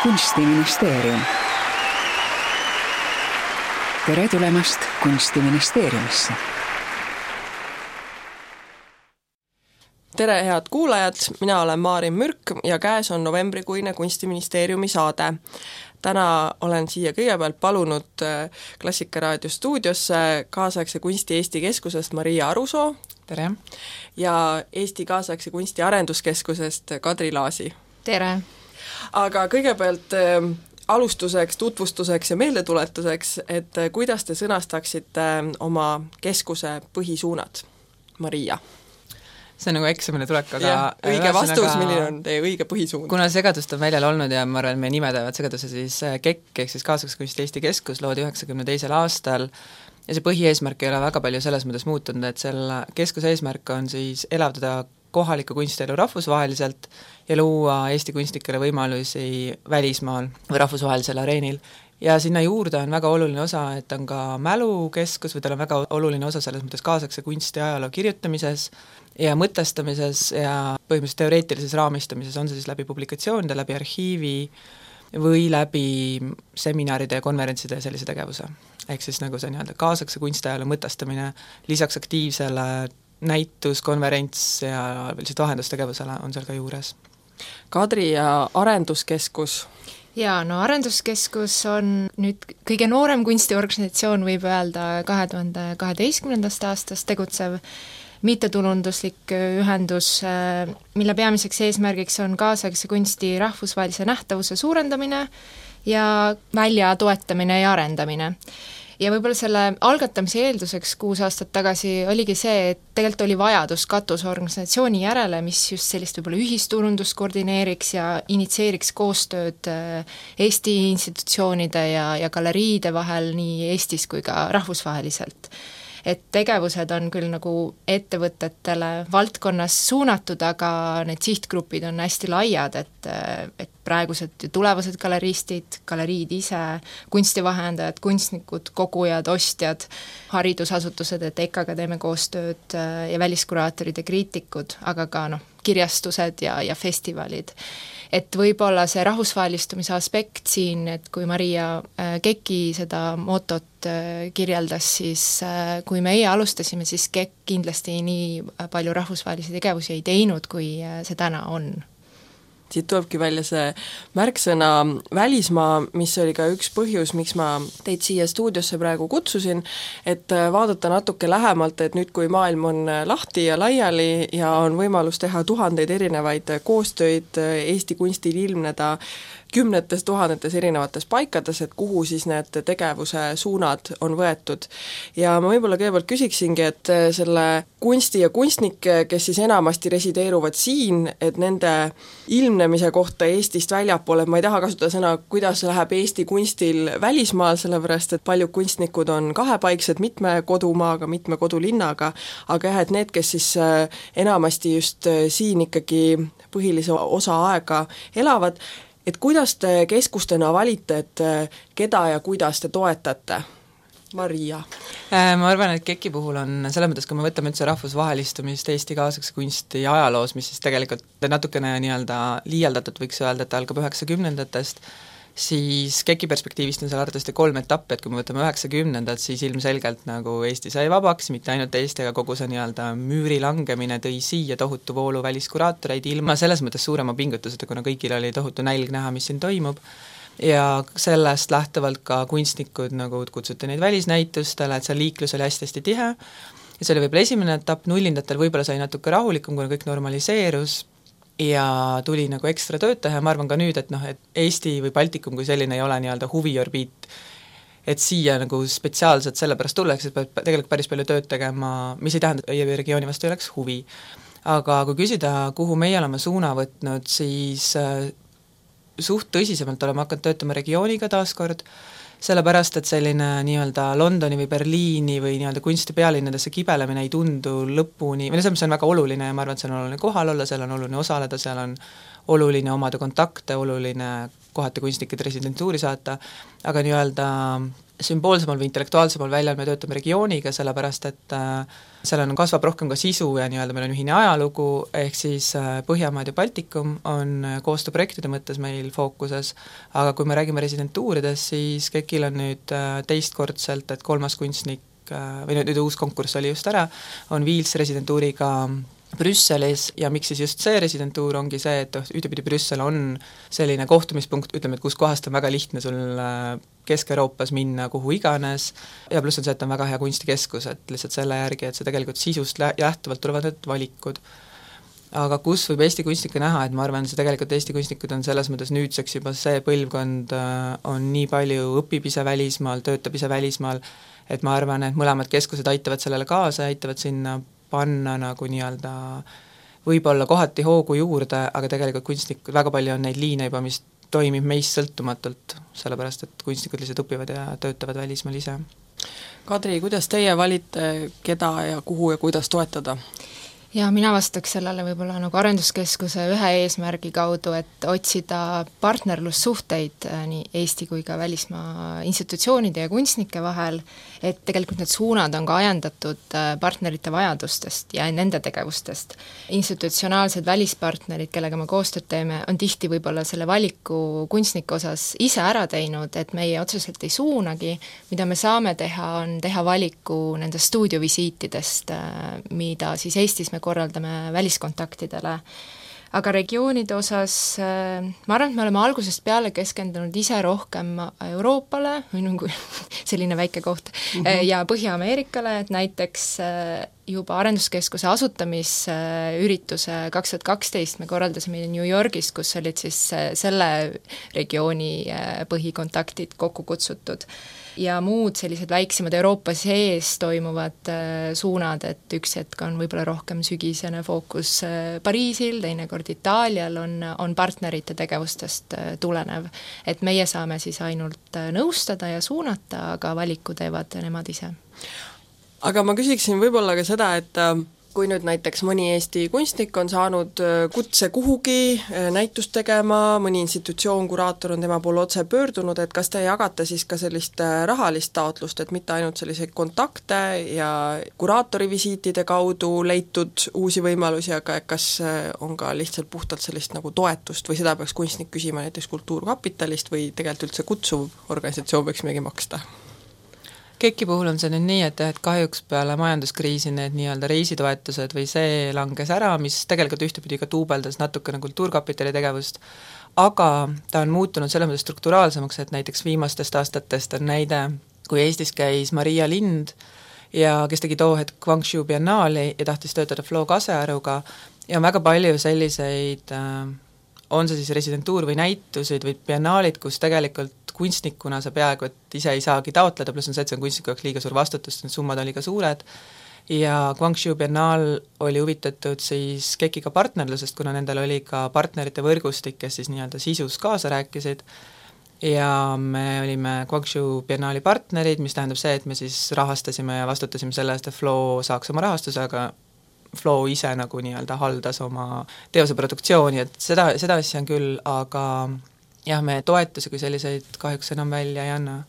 Kunstiministeerium. Tere tulemast Kunstiministeeriumisse. Tere head kuulajad, mina olen Maarin Mürk ja käes on novembrikuine Kunstiministeeriumi saade. Täna olen siia kõigepealt palunud Klassikaraadio stuudiosse kaasaegse kunsti Eesti Keskusest Maria Arusoo. Tere! Ja Eesti kaasaegse kunsti arenduskeskusest Kadri Laasi. Tere! Aga kõigepealt alustuseks, tutvustuseks ja meeldetuletuseks, et kuidas te sõnastaksite oma keskuse põhisuunad, Maria? See on nagu eksamile tulek, aga... õige vastus, milline on teie õige põhisuund? Kuna segadust on väljal olnud ja ma arvan, et me nimetavad segaduse siis KEK, ehk siis kaasaegse kunsti Eesti Keskus, loodi 92. aastal ja see põhieesmärk ei ole väga palju selles mõttes muutunud, et selle keskuse eesmärk on siis elavdada kohaliku kunstielu rahvusvaheliselt ja luua Eesti kunstnikele võimalusi välismaal või rahvusvahelisel areenil. Ja sinna juurde on väga oluline osa, et on ka mälukeskus või tal on väga oluline osa selles mõttes kaasaegse kunsti ajaloo kirjutamises ja mõtestamises ja põhimõtteliselt teoreetilises raamistamises, on see siis läbi publikatsioonide, läbi arhiivi või läbi seminaride ja konverentside ja sellise tegevuse. Ehk siis nagu see nii-öelda kaasaegse kunsti ajaloo mõtestamine lisaks aktiivsele näitus, konverents ja lihtsalt vahendustegevusele on seal ka juures. Kadri ja arenduskeskus? Jaa, no arenduskeskus on nüüd kõige noorem kunstiorganisatsioon, võib öelda 2012. aastast tegutsev mittetulunduslik ühendus, mille peamiseks eesmärgiks on kaasaegse kunsti rahvusvahelise nähtavuse suurendamine ja välja toetamine ja arendamine. Ja võib-olla selle algatamise eelduseks 6 aastat tagasi oligi see, et tegelikult oli vajadus katusorganisatsiooni järele, mis just sellist võib-olla ühisturundust koordineeriks ja initseeriks koostööd Eesti institutsioonide ja galeriide vahel nii Eestis kui ka rahvusvaheliselt. Et tegevused on küll nagu ettevõtetele valdkonnas suunatud, aga need sihtgrupid on hästi laiad, et praegused ja tulevased galeriistid, galeriid ise, kunstivahendajad, kunstnikud, kogujad, ostjad, haridusasutused, et EKA-ga teeme koostööd ja väliskuraatorid ja kriitikud, aga ka kirjastused ja festivalid. Et võib-olla see rahvusvahelistumise aspekt siin, et kui Maria KEK-i seda motot kirjeldas, siis kui meie alustasime, siis KEK kindlasti nii palju rahvusvahelisi tegevusi ei teinud, kui see täna on. Siit tulebki välja see märksõna välismaa, mis oli ka üks põhjus, miks ma teid siia stuudiosse praegu kutsusin, et vaadata natuke lähemalt, et nüüd kui maailm on lahti ja laiali ja on võimalus teha tuhandeid erinevaid koostöid Eesti kunstil ilmneda kümnetes tuhandetes erinevates paikades, et kuhu siis need tegevuse suunad on võetud. Ja ma võib-olla kõigepealt küsiksingi, et selle kunsti ja kunstnikke, kes siis enamasti resideeruvad siin, et nende ilmnemise kohta Eestist väljapoole, ma ei taha kasutada sõna, kuidas läheb Eesti kunstil välismaal, sellepärast et paljud kunstnikud on kahepaiksed mitme kodumaaga, mitme kodulinnaga, aga jah, et need, kes siis enamasti just siin ikkagi põhilise osa aega elavad, et kuidas te keskustena valite, et keda ja kuidas te toetate? Maria? Ma arvan, et KEK-i puhul on selles mõttes, kui me võtame üldse rahvusvahelistumist Eesti kaasaegse kunsti ajaloos, mis siis tegelikult natukene nii-öelda liialdatud võiks öelda, et algab 90-ndatest, siis KEK-i perspektiivist on seal arvatavasti 3 etappi, et kui me võtame 90-ndat, siis ilmselgelt nagu Eesti sai vabaks, mitte ainult Eesti, aga kogu see nii-öelda müüri langemine tõi siia tohutu voolu väliskuraatoreid ilma selles mõttes suurema pingutuseta, kuna kõigil oli tohutu nälg näha, mis siin toimub, ja sellest lähtuvalt ka kunstnikud nagu kutsuti neid välisnäitustele, et see liiklus oli hästi tihe, ja see oli võib-olla esimene etapp, nullindatel võib-olla sai natuke rahulikum, kuna kõik normaliseerus, ja tuli nagu ekstra tööd teha ja ma arvan ka nüüd, et et Eesti või Baltikum kui selline ei ole nii-öelda huviorbiit, et siia nagu spetsiaalselt sellepärast tulleks, et peab tegelikult päris palju tööd tegema, mis ei tähenda, et regiooni vastu ei oleks huvi. Aga kui küsida, kuhu meie oleme suuna võtnud, siis suht tõsisemalt oleme hakanud töötama regiooniga taaskord, sellepärast, et selline nii-öelda Londoni või Berliini või nii-öelda kunstipealinnadesse kibelemine ei tundu lõpuni, või see on väga oluline ja ma arvan, et seal on oluline kohal olla, seal on oluline osaleda, seal on oluline omada kontakte, oluline kohati kunstnikud residentuuri saata, aga nii-öelda sümboolsemal või intellektuaalsemal väljal me töötame regiooniga, sellepärast et seal kasvab rohkem ka sisu ja nii-öelda meil on ühine ajalugu, ehk siis Põhjamaad ja Baltikum on koostööprojektide mõttes meil fookuses, aga kui me räägime residentuuridest, siis KEK-il on nüüd teistkordselt, et 3. kunstnik, või nüüd uus konkurss oli just ära, on Viils residentuuriga Brüsselis ja miks siis just see residentuur ongi see, et ühtepidi Brüssel on selline kohtumispunkt, ütleme, et kus kohast on väga lihtne sul Kesk-Euroopas minna kuhu iganes ja pluss on see, et on väga hea kunstikeskus, et lihtsalt selle järgi, et see tegelikult sisust lähtuvalt tulevad need valikud. Aga kus võib Eesti kunstnikke näha, et ma arvan, see tegelikult Eesti kunstnikud on selles mõttes nüüdseks juba see põlvkond on nii palju õpib ise välismaal, töötab ise välismaal, et ma arvan, et mõlemad keskused aitavad sellele kaasa, aitavad sinna panna nagu nii-öelda võib-olla kohati hoogu juurde, aga tegelikult kunstnikud, väga palju on neid liine juba, mis toimib meist sõltumatult, sellepärast et kunstnikud lihtsalt õpivad ja töötavad välismaal ise. Kadri, kuidas teie valite, keda ja kuhu ja kuidas toetada? Ja mina vastaks sellele võib-olla nagu arenduskeskuse ühe eesmärgi kaudu, et otsida partnerlussuhteid nii Eesti kui ka välismaa institutsioonide ja kunstnike vahel, et tegelikult need suunad on ka ajendatud partnerite vajadustest ja nende tegevustest. Institutsionaalsed välispartnerid, kellega me koostööd teeme, on tihti võib-olla selle valiku kunstniku osas ise ära teinud, et meie otseselt ei suunagi, mida me saame teha, on teha valiku nendest stuudiovisiitidest, mida siis Eestis me korraldame väliskontaktidele. Aga regioonide osas ma arvan, et me oleme algusest peale keskendunud ise rohkem Euroopale, või nagu selline väike koht, ja Põhja-Ameerikale, et näiteks juba arenduskeskuse asutamisürituse 2012 me korraldasime New Yorgis, kus olid siis selle regiooni põhikontaktid kokku kutsutud. Ja muud sellised väiksemad Euroopa sees toimuvad suunad, et üks hetk on võib-olla rohkem sügisene fookus Pariisil, teinekord Itaalial on partnerite tegevustest tulenev. Et meie saame siis ainult nõustada ja suunata, aga valiku teevad nemad ise. Aga ma küsiksin võib-olla ka seda, et kui nüüd näiteks mõni Eesti kunstnik on saanud kutse kuhugi näitust tegema, mõni institutsioon, kuraator on tema poole otse pöördunud, et kas te jagate siis ka sellist rahalist taotlust, et mitte ainult selliseid kontakte ja kuraatori visiitide kaudu leitud uusi võimalusi, aga kas on ka lihtsalt puhtalt sellist nagu toetust või seda peaks kunstnik küsima näiteks Kultuurkapitalist või tegelikult üldse kutsuv organisatsioon võiks midagi maksta? KEK-i puhul on see nüüd nii, et kahjuks peale majanduskriisi need nii-öelda reisitoetused või see langes ära, mis tegelikult ühtepidi ka duubeldas natukene Kultuurkapitali tegevust, aga ta on muutunud selles mõttes strukturaalsemaks, et näiteks viimastest aastatest on näide, kui Eestis käis Maria Lind, ja kes tegi too hetk Guangzhou biennaali ja tahtis töötada Flo Kasearuga ja on väga palju selliseid, on see siis residentuur või näitusid või biennaalid, kus tegelikult kunstnikuna sa peaaegu, et ise ei saagi taotleda, pluss on see, et see on kunstniku jaoks liiga suur vastutus, need summad oli ka suured, ja Guangzhou biennaal oli huvitatud siis KEK-iga partnerlusest, kuna nendel oli ka partnerite võrgustik, kes siis nii-öelda sisus kaasa rääkisid, ja me olime Guangzhou biennaali partnerid, mis tähendab see, et me siis rahastasime ja vastutasime selle eest, et Flo saaks oma rahastuse, aga Flo ise nagu nii-öelda haldas oma teose produktsiooni, et seda asja on küll, aga jah, me toetusi kui selliseid kahjuks enam välja ei anna.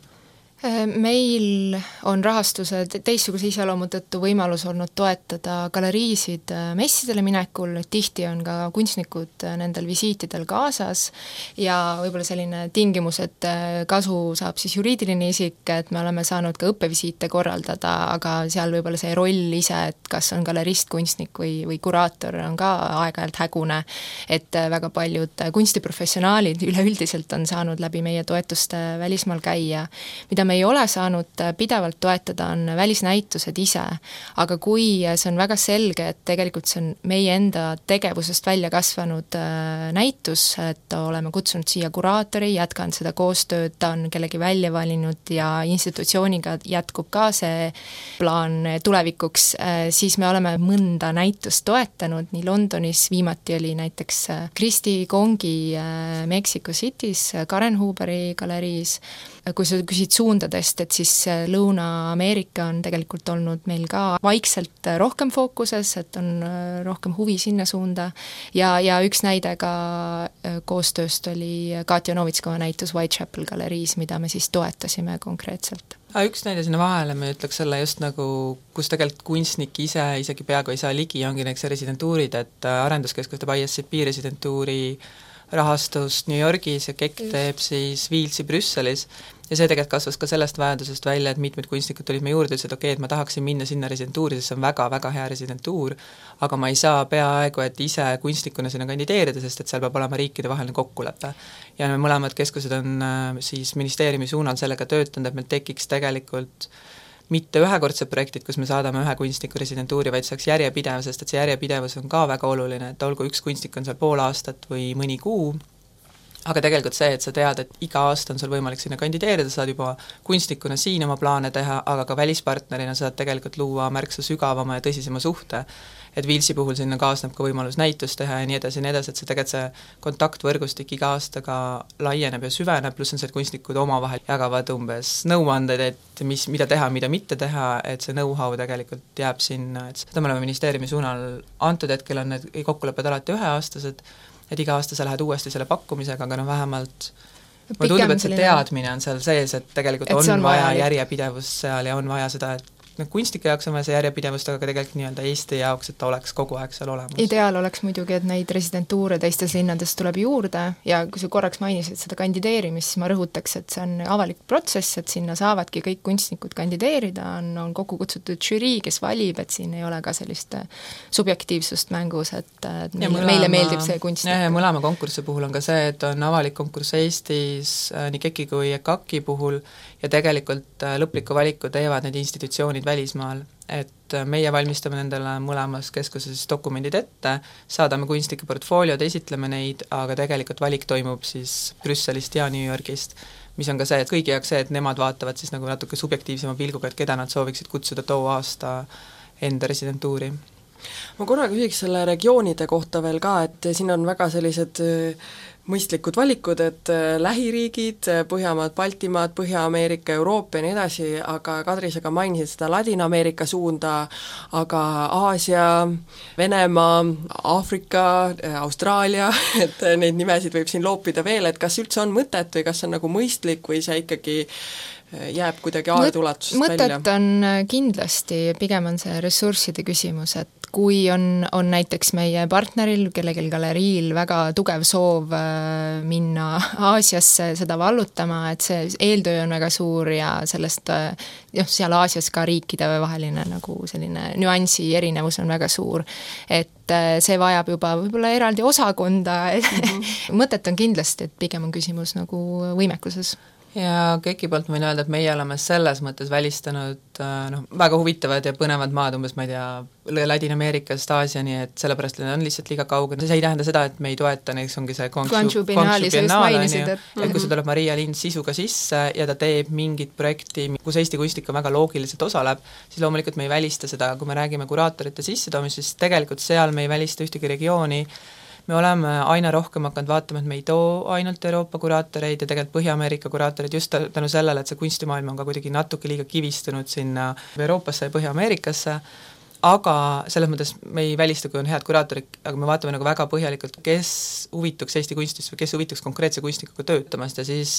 Meil on rahastuse teistsuguse iseloomu tõttu võimalus olnud toetada galeriisid messidele minekul, tihti on ka kunstnikud nendel visiitidel kaasas ja võib-olla selline tingimus, et kasu saab siis juriidiline isik, et me oleme saanud ka õppevisiite korraldada, aga seal võib-olla see roll ise, et kas on galerist, kunstnik või kuraator, on ka aeg-ajalt hägune, et väga paljud kunstiprofessionaalid üleüldiselt on saanud läbi meie toetuste välismaal käia, mida me ei ole saanud pidevalt toetada, on välisnäitused ise, aga kui see on väga selge, et tegelikult see on meie enda tegevusest välja kasvanud näitus, et oleme kutsunud siia kuraatori, jätkanud seda koostööd, ta on kellegi välja valinud ja institutsiooniga jätkub ka see plaan tulevikuks, siis me oleme mõnda näitust toetanud, nii Londonis viimati oli näiteks Kristi Kongi Mexico City's, Karen Huberi galeriis, kui sa küsid suunda suundadest, et siis Lõuna-Ameerika on tegelikult olnud meil ka vaikselt rohkem fookuses, et on rohkem huvi sinna suunda ja üks näide ka koostööst oli Katja Novitskova näitus Whitechapel galeriis, mida me siis toetasime konkreetselt. Üks näide sinna vahele, me ütleks selle just nagu, kus tegelikult kunstnik ise isegi peaaegu ei saa ligi, ongi näiteks residentuurid, et arenduskeskus teeb ISCP residentuuri rahastust New Yorgis ja KEK teeb siis Wielsi Brüsselis ja see tegelikult kasvas ka sellest vajadusest välja, et mitmed kunstnikud tulid me juurde, ütlesid, okei, et ma tahaksin minna sinna residentuuri, sest see on väga-väga hea residentuur, aga ma ei saa peaaegu, et ise kunstnikuna sinna kandideerida, sest et seal peab olema riikidevaheline kokkulepe. Ja me mõlemad keskused on siis ministeeriumi suunal sellega töötanud, et meil tekiks tegelikult mitte ühekordsed projektid, kus me saadame ühe kunstniku residentuuri, vaid saaks järjepidev, sest et see järjepidevus on ka väga oluline, et olgu üks kunstnik on seal pool aastat või mõni kuu, aga tegelikult see, et sa tead, et iga aasta on sul võimalik sinna kandideerida, saad juba kunstnikuna siin oma plaane teha, aga ka välispartnerina saad tegelikult luua märksa sügavama ja tõsisema suhte. Et Wielsi puhul sinna kaasneb ka võimalus näitust teha ja nii edasi, et see tegelikult see kontaktvõrgustik iga aastaga laieneb ja süveneb, pluss on see, et kunstnikud omavahel jagavad umbes nõuanded, et mida teha, mida mitte teha, et see know-how tegelikult jääb sinna, et seda me oleme ministeeriumi suunal antud hetkel on need kokkulepped alati üheaastased, et iga aasta sa lähed uuesti selle pakkumisega, aga vähemalt mulle tundub, et see teadmine on seal sees, et tegelikult on vaja järjepidevust seal ja on vaja seda, et kunstnike jaoks on vaja see järjepidevust, aga ka tegelikult nii-öelda Eesti jaoks, et ta oleks kogu aeg seal olemas. Ideaal oleks muidugi, et neid residentuure teistes linnades tuleb juurde ja kui sa korraks mainisid seda kandideerimist, siis ma rõhutaks, et see on avalik protsess, et sinna saavadki kõik kunstnikud kandideerida, on kokku kutsutud žürii, kes valib, et siin ei ole ka sellist subjektiivsust mängus, et meile meeldib see kunstnik. Ja mõlema konkursi puhul on ka see, et on avalik konkurss Eestis nii KEK-i kui EKAK-i puhul ja tegelikult lõpliku valiku teevad need institutsioonid välismaal, et meie valmistame nendele mõlemas keskuses dokumendid ette, saadame kunstnike portfooliod, esitleme neid, aga tegelikult valik toimub siis Brüsselist ja New Yorgist, mis on ka see, et kõigi jaoks see, et nemad vaatavad siis nagu natuke subjektiivsema pilguga, et keda nad sooviksid kutsuda too aasta enda residentuuri. Ma korra küsiks selle regioonide kohta veel ka, et siin on väga sellised mõistlikud valikud, et lähiriigid, Põhjamaad, Baltimaad, Põhja-Ameerika, Euroopa ja nii edasi, aga Kadri, sa ka mainisid seda Ladina-Ameerika suunda, aga Aasia, Venemaa, Aafrika, Austraalia, et neid nimesid võib siin loopida veel, et kas üldse on mõtet või kas on nagu mõistlik või see ikkagi jääb kuidagi aeduulatusest välja? Mõtet on kindlasti, pigem on see ressursside küsimus, et kui on näiteks meie partneril, kellelgi galeriil väga tugev soov minna Aasiasse seda vallutama, et see eeltöö on väga suur ja sellest seal Aasias ka riikide vaheline nagu selline nüansi erinevus on väga suur, et see vajab juba võib-olla eraldi osakonda, mõtet on kindlasti, et pigem on küsimus nagu võimekuses. Ja KEK-i poolt võin öelda, et meie oleme selles mõttes välistanud väga huvitavad ja põnevad maad, umbes ma ei tea, Ladina-Ameerikast Aasiani, et sellepärast need on lihtsalt liiga kaugel. See ei tähenda seda, et me ei toeta, näiteks ongi see Guangzhou Biennaali, et kui see tuleb Maria Lind sisuga sisse ja ta teeb mingit projekti, kus Eesti kunstnik on väga loogiliselt osaleb, siis loomulikult me ei välista seda, kui me räägime kuraatorite sissetoomist, siis tegelikult seal me ei välista ühtegi regiooni. Me oleme aina rohkem hakanud vaatama, et me ei too ainult Euroopa kuraatoreid ja tegelikult Põhja-Ameerika kuraatoreid just tänu sellele, et see kunstimaailm on ka kuidagi natuke liiga kivistunud sinna Euroopasse ja Põhja-Ameerikasse, aga selles mõttes me ei välista, kui on head kuraatorid, aga me vaatame nagu väga põhjalikult, kes huvituks Eesti kunstist või kes huvituks konkreetse kunstnikuga töötamast ja siis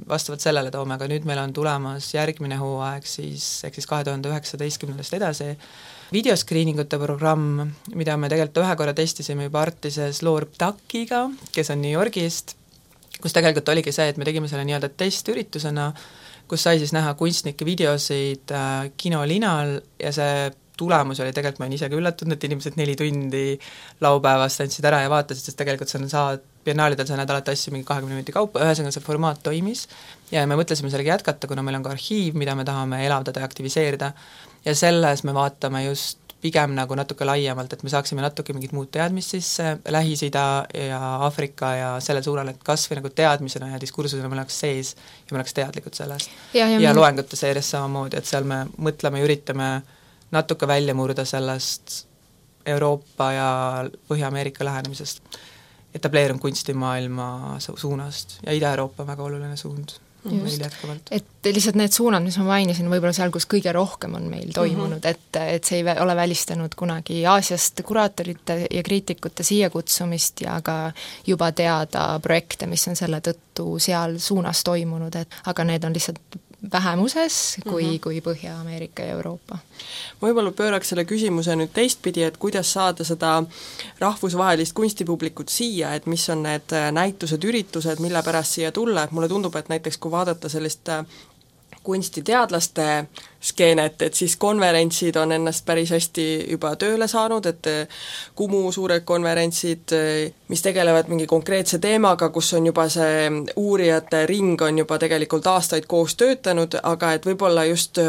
vastavalt sellele toome, aga nüüd meil on tulemas järgmine hooaeg siis 2019 edasi videoskriiningute programm, mida me tegelikult ühe korra testisime juba Artises Loor Ptakiga, kes on New Yorgist, kus tegelikult oligi see, et me tegime selle nii-öelda testüritusena, kus sai siis näha kunstnike videosid kinolinal ja see tulemus oli tegelikult, ma olen ise ka üllatunud, et inimesed 4 tundi laupäevast andsid ära ja vaatasid, sest tegelikult saad biennaalidel sa näed alati asju mingi 20 minuti kaupa, ühesõnaga see formaat toimis ja me mõtlesime sellega jätkata, kuna meil on ka arhiiv, mida me tahame elavdada ja aktiviseerida ja selles me vaatame just pigem nagu natuke laiemalt, et me saaksime natuke mingit muud teadmist sisse, Lähis-Ida ja Aafrika ja sellel suurel, et kas või nagu teadmisena ja diskursusena me oleks sees ja me oleks teadlikud sellest. Ja loengute seeres samamoodi, et seal me mõtleme ja üritame natuke välja murda sellest Euroopa ja Põhja-Ameerika lähenemisest, etableerunud kunstimaailma suunast ja Ida-Euroopa on väga oluline suund. et lihtsalt need suunad, mis ma mainisin, võib-olla seal, kus kõige rohkem on meil toimunud, et see ei ole välistanud kunagi Aasiast kuraatorite ja kriitikute siia kutsumist ja ka juba teada projekte, mis on selle tõttu seal suunas toimunud, aga need on lihtsalt vähemuses kui Põhja-Ameerika ja Euroopa. Võib-olla pööraks selle küsimuse nüüd teistpidi, et kuidas saada seda rahvusvahelist kunstipublikut siia, et mis on need näitused, üritused, mille pärast siia tulla, et mulle tundub, et näiteks kui vaadata sellist kunstiteadlaste skeenet, et siis konverentsid on ennast päris hästi juba tööle saanud, et Kumu suured konverentsid, mis tegelevad mingi konkreetse teemaga, kus on juba see uurijate ring on juba tegelikult aastaid koos töötanud, aga et võib-olla just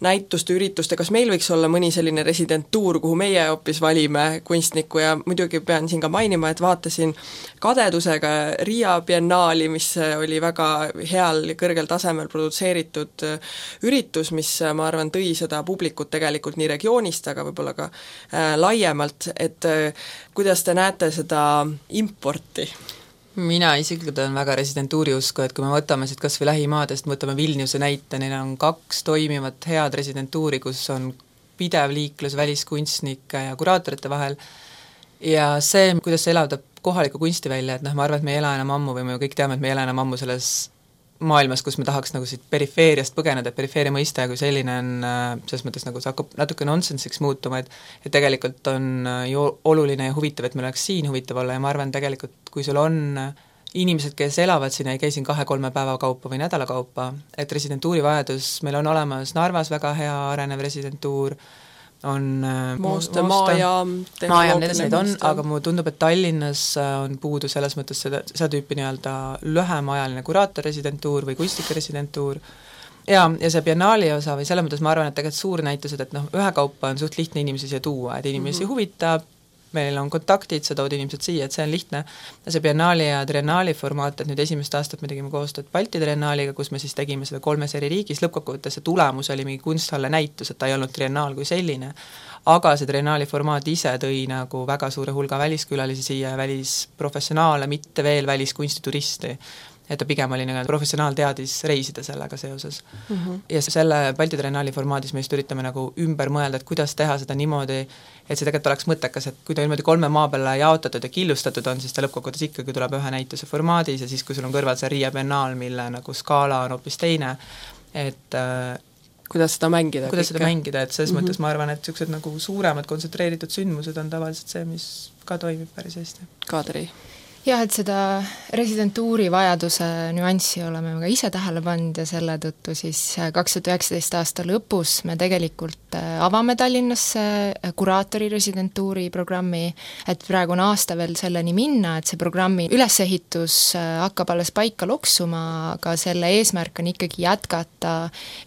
näituste, ürituste, kas meil võiks olla mõni selline residentuur, kuhu meie hoopis valime kunstnikku ja muidugi pean siin ka mainima, et vaatasin kadedusega Riia biennaali, mis oli väga heal, kõrgel tasemel produtseeritud üritus, mis ma arvan, tõi seda publikut tegelikult nii regioonist, aga võib-olla ka laiemalt, et kuidas te näete seda importi? Mina isiklikult olen väga residentuuri usku, et kui me võtame siit kas või lähimaadest, võtame Vilniuse näite, neil on 2 toimivat head residentuuri, kus on pidev liiklus väliskunstnike ja kuraatorite vahel ja see, kuidas see elavdab kohaliku kunsti välja, et ma arvan, et me ei ela enam ammu või me kõik teame, et me ei ela enam ammu selles maailmas, kus me tahaks nagu siit perifeeriast põgeneda, et perifeeria mõiste kui selline on selles mõttes nagu see hakkab natuke nonsensiks muutuma, et tegelikult on ju oluline ja huvitav, et meil oleks siin huvitav olla ja ma arvan tegelikult, kui sul on inimesed, kes elavad siin ja ei käi siin 2-3 päeva kaupa või nädala kaupa, et residentuuri vajadus, meil on olemas Narvas väga hea arenev residentuur, on maajaam, need on, aga mulle tundub, et Tallinnas on puudu selles mõttes seda tüüpi nii-öelda lühemaajaline kuraatorresidentuur või kunstikeresidentuur ja see biennaali osa või selles mõttes ma arvan, et tegelikult suurnäitused, et ühekaupa on suht lihtne inimesi siia tuua, et inimesi huvitab, meil on kontaktid, sa tood inimesed siia, et see on lihtne. See biennaali ja triennaali formaat, et nüüd esimest aastat me tegime koostööd Balti triennaaliga, kus me siis tegime seda 3 eri riigis, lõppkokkuvõttes see tulemus oli mingi kunsthalle näitus, et ta ei olnud triennaal kui selline, aga see triennaali formaat ise tõi nagu väga suure hulga väliskülalisi siia ja välisprofessionaale, mitte veel väliskunstituristi. Et ta pigem oli nagu professionaal teadis reisida sellega seoses. Ja selle Balti triennaali formaadis me just üritame nagu ümber mõelda, et kuidas teha seda niimoodi, et see tegelikult oleks mõttekas, et kui ta niimoodi 3 maa peale jaotatud ja killustatud on, siis ta lõppkokkuvõttes ikkagi tuleb ühe näituse formaadis ja siis, kui sul on kõrval see Riia biennaal, mille nagu skaala on hoopis teine, et kuidas seda mängida, et selles mõttes ma arvan, et sellised nagu suuremad kontsentreeritud sündmused on tavaliselt see, mis ka toimib päris hästi. Kadri? Jah, et seda residentuuri vajaduse nüanssi oleme ka ise tähele pannud ja selle tõttu siis 2019 aasta lõpus me tegelikult avame Tallinnasse kuraatori residentuuri programmi, et praegu on aasta veel selleni minna, et see programmi ülesehitus hakkab alles paika loksuma, aga selle eesmärk on ikkagi jätkata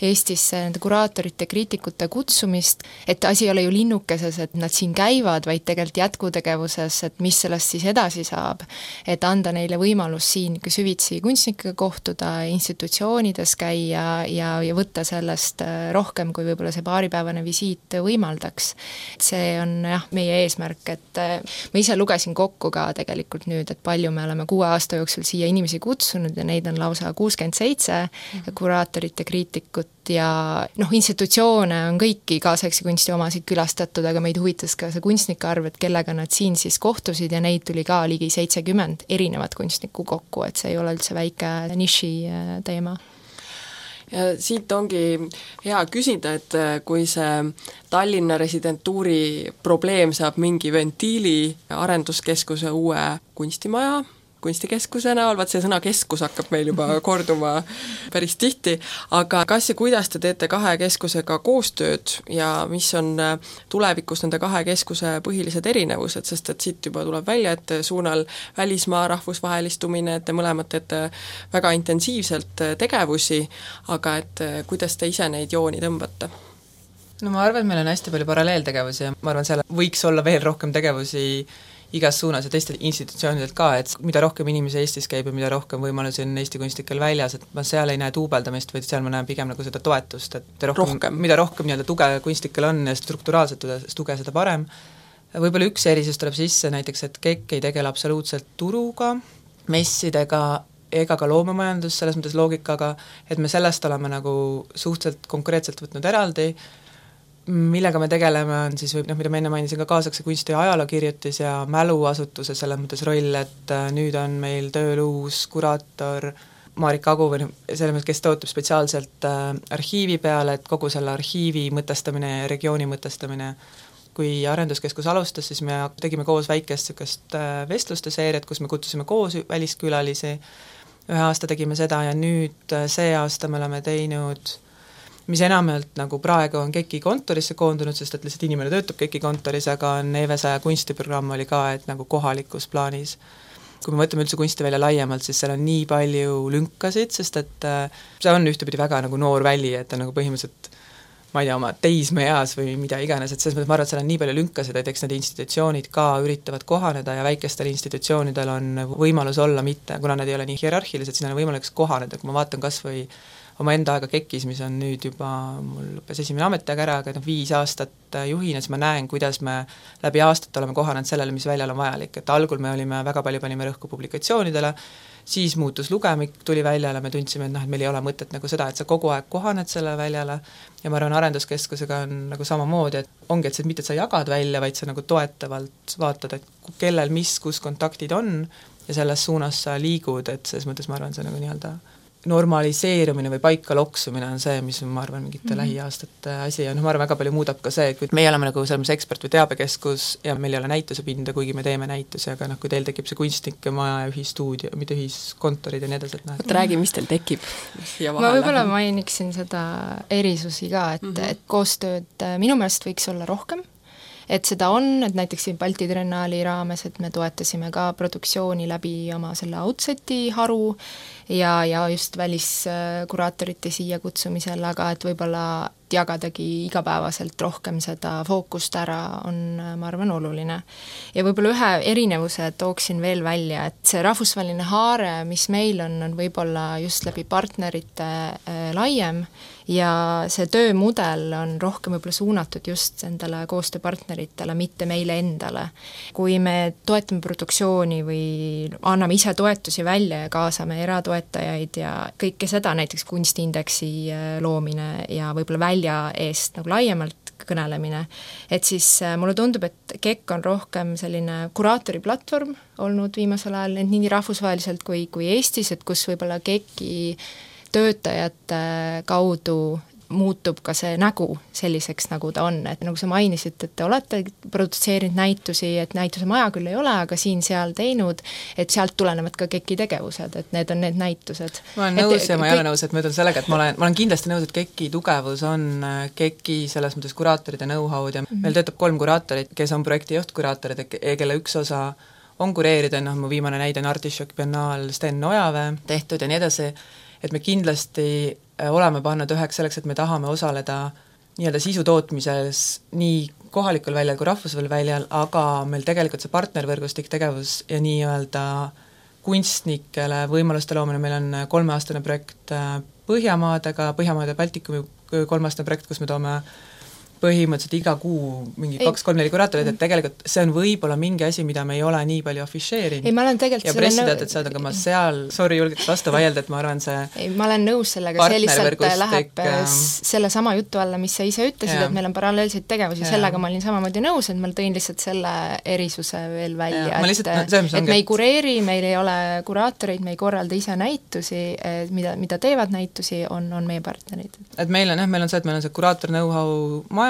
Eestisse nende kuraatorite, kriitikute kutsumist, et asi ei ole ju linnukeses, et nad siin käivad, vaid tegelikult jätkutegevuses, et mis sellest siis edasi saab. Et anda neile võimalus siin süvitsi kunstnikega kohtuda, institutsioonides käia ja võtta sellest rohkem, kui võib-olla see paaripäevane visiit võimaldaks. See on meie eesmärk, et ma ise lugesin kokku ka tegelikult nüüd, et palju me oleme 6 aasta jooksul siia inimesi kutsunud ja neid on lausa 67 kuraatorit ja kriitikut ja institutsioone on kõiki kaasaegse kunsti omasid külastatud, aga meid huvitas ka see kunstnike arv, et kellega nad siin siis kohtusid ja neid tuli ka ligi 70 erinevat kunstnikku kokku, et see ei ole üldse väike niši teema. Ja siit ongi hea küsida, et kui see Tallinna residentuuri probleem saab mingi ventiili arenduskeskuse uue kunstimaja, kunstikeskuse näol, vaat see sõna keskus hakkab meil juba korduma päris tihti, aga kas ja kuidas te teete 2 keskusega koostööd ja mis on tulevikus nende 2 keskuse põhilised erinevused, sest et siit juba tuleb välja, et suunal välismaa rahvusvahelistumine, et te mõlemad teete väga intensiivselt tegevusi, aga et kuidas te ise neid jooni tõmbate? No ma arvan, et meil on hästi palju paralleeltegevusi ja ma arvan, seal võiks olla veel rohkem tegevusi igas suunas ja teistel institutsioonidelt ka, et mida rohkem inimesi Eestis käib ja mida rohkem võimalusi on Eesti kunstnikel väljas, et ma seal ei näe duubeldamist, vaid seal ma näen pigem nagu seda toetust, et mida rohkem nii-öelda tuge kunstnikel on ja strukturaalselt tuge, seda parem. Võib-olla üks erisus tuleb sisse näiteks, et KEK ei tegele absoluutselt turuga, messidega ega ka loomemajandus selles mõttes loogikaga, et me sellest oleme nagu suhteliselt konkreetselt võtnud eraldi, millega me tegeleme, on siis mida ma enne mainisin ka kaasakse kunsti ja ajalookirjutis ja mäluasutuse selles mõttes roll, et nüüd on meil tööl uus kuraator Marika Agu või selles mõttes, kes töötab spetsiaalselt arhiivi peale, et kogu selle arhiivi mõtestamine ja regiooni mõtestamine. Kui Arenduskeskus alustas, siis me tegime koos väikest niisugust vestluste seeriat, kus me kutsusime koos väliskülalisi, 1 aasta tegime seda ja nüüd see aasta me oleme teinud, mis enamalt nagu praegu on KEK-i kontorisse koondunud, sest et lihtsalt inimene töötab KEK-i kontoris, aga on EV100 kunstiprogramm oli ka, et nagu kohalikus plaanis. Kui me võtame üldse kunsti välja laiemalt, siis seal on nii palju lünkasid, sest et see on ühtepidi väga nagu noor väli, et on nagu põhimõtteliselt ma ei tea, oma teismeeas või mida iganes, et selles mõttes ma arvan, et seal on nii palju lünkasid, et eks need institutsioonid ka üritavad kohaneda ja väikestel institutsioonidel on võimalus olla mitte, kuna nad ei ole nii hierarhilised, siis neil on võimalik kohaneda, kui ma vaatan kas või oma enda aega KEK-is, mis on nüüd juba, mul lõppes 1. ametiaeg ära, aga 5 aastat juhina, siis ma näen, kuidas me läbi aastat oleme kohanenud sellele, mis väljal on vajalik, et algul me olime väga palju panime rõhku publikatsioonidele, siis muutus lugemik, tuli väljale, me tundsime, et meil ei ole mõtet nagu seda, et sa kogu aeg kohaned selle väljale ja ma arvan, Arenduskeskusega on nagu samamoodi, et ongi, et see mitte, et sa jagad välja, vaid sa nagu toetavalt vaatad, et kellel kus kontaktid on ja selles suunas sa liigud, et selles mõttes ma arvan, see nagu nii-öelda normaliseerumine või paika loksumine on see, mis ma arvan mingite lähiaastate asi ja ma arvan, väga palju muudab ka see, et kui meie oleme nagu selles ekspert- või teabekeskus ja meil ei ole näitusepinda, kuigi me teeme näitusi, aga kui teil tekib see kunstnike maja ja ühistuudio, mitte ühiskontorid ja nii edasi, et räägi, mis teil tekib? Ma võib-olla mainiksin seda erisusi ka, et koostööd minu meelest võiks olla rohkem, et seda on, et näiteks siin Balti Triennaali raames, et me toetasime ka produktsiooni läbi oma selle Outseti haru ja just väliskuraatorite siia kutsumisel, aga et võib-olla jagadagi igapäevaselt rohkem seda fookust ära on, ma arvan, oluline. Ja võib-olla ühe erinevuse tooksin veel välja, et see rahvusvaheline haare, mis meil on võib-olla just läbi partnerite laiem ja see töömudel on rohkem võib-olla suunatud just endale koostööpartneritele, mitte meile endale. Kui me toetame produktsiooni või anname ise toetusi välja ja kaasame eratoetajaid ja kõike seda, näiteks kunstiindeksi loomine ja võib-olla välja eest nagu laiemalt kõnelemine, et siis mulle tundub, et KEK on rohkem selline kuraatori platvorm olnud viimasel ajal, nii rahvusvaheliselt kui Eestis, et kus võib-olla KEK-i töötajate kaudu muutub ka see nägu selliseks, nagu ta on, et nagu sa mainisid, et te olete produtseerinud näitusi, et näituse maja küll ei ole, aga siin-seal teinud, et sealt tulenevad ka KEK-i tegevused, et need on need näitused. Ma olen nõus ja ma ei ole nõus, et ma ütlen sellega, et ma olen kindlasti nõus, et KEK-i tugevus on KEK-i selles mõttes kuraatoride know-how'd ja meil töötab 3 kuraatorit, kes on projekti juhtkuratorid, kelle üks osa on kureerida, mu viimane näide on Artišok Biennaal Sten Ojaväe tehtud ja nii edasi, et me kindlasti oleme pannud üheks selleks, et me tahame osaleda nii-öelda sisu tootmises nii kohalikul väljal kui rahvusvahelisel väljal, aga meil tegelikult see partnervõrgustik tegevus ja nii-öelda kunstnikele võimaluste loomine, meil on 3-aastane projekt Põhjamaadega, Põhjamaade Baltikumi 3-aastane projekt, kus me toome põhimõtteliselt iga kuu mingi 2-3-4 kuraatorid, et tegelikult see on võib-olla mingi asi, mida me ei ole nii palju afišeerinud. Ei, ma olen tegelikult ja pressiteadet saada, aga ma seal, julgelt vastu vaielda, et ma arvan, see ei, ma olen nõus sellega, see lihtsalt läheb selle sama jutu alla, mis sa ise ütlesid, et meil on paralleelseid tegevusi, sellega ma olin samamoodi nõus, et ma tõin lihtsalt selle erisuse veel välja, et me ei kureeri, meil ei ole kuraatoreid, me ei korralda ise näitusi, mida teevad näitusi, on meie partnerid. Et meil on see, et meil on see kuraator know-how majas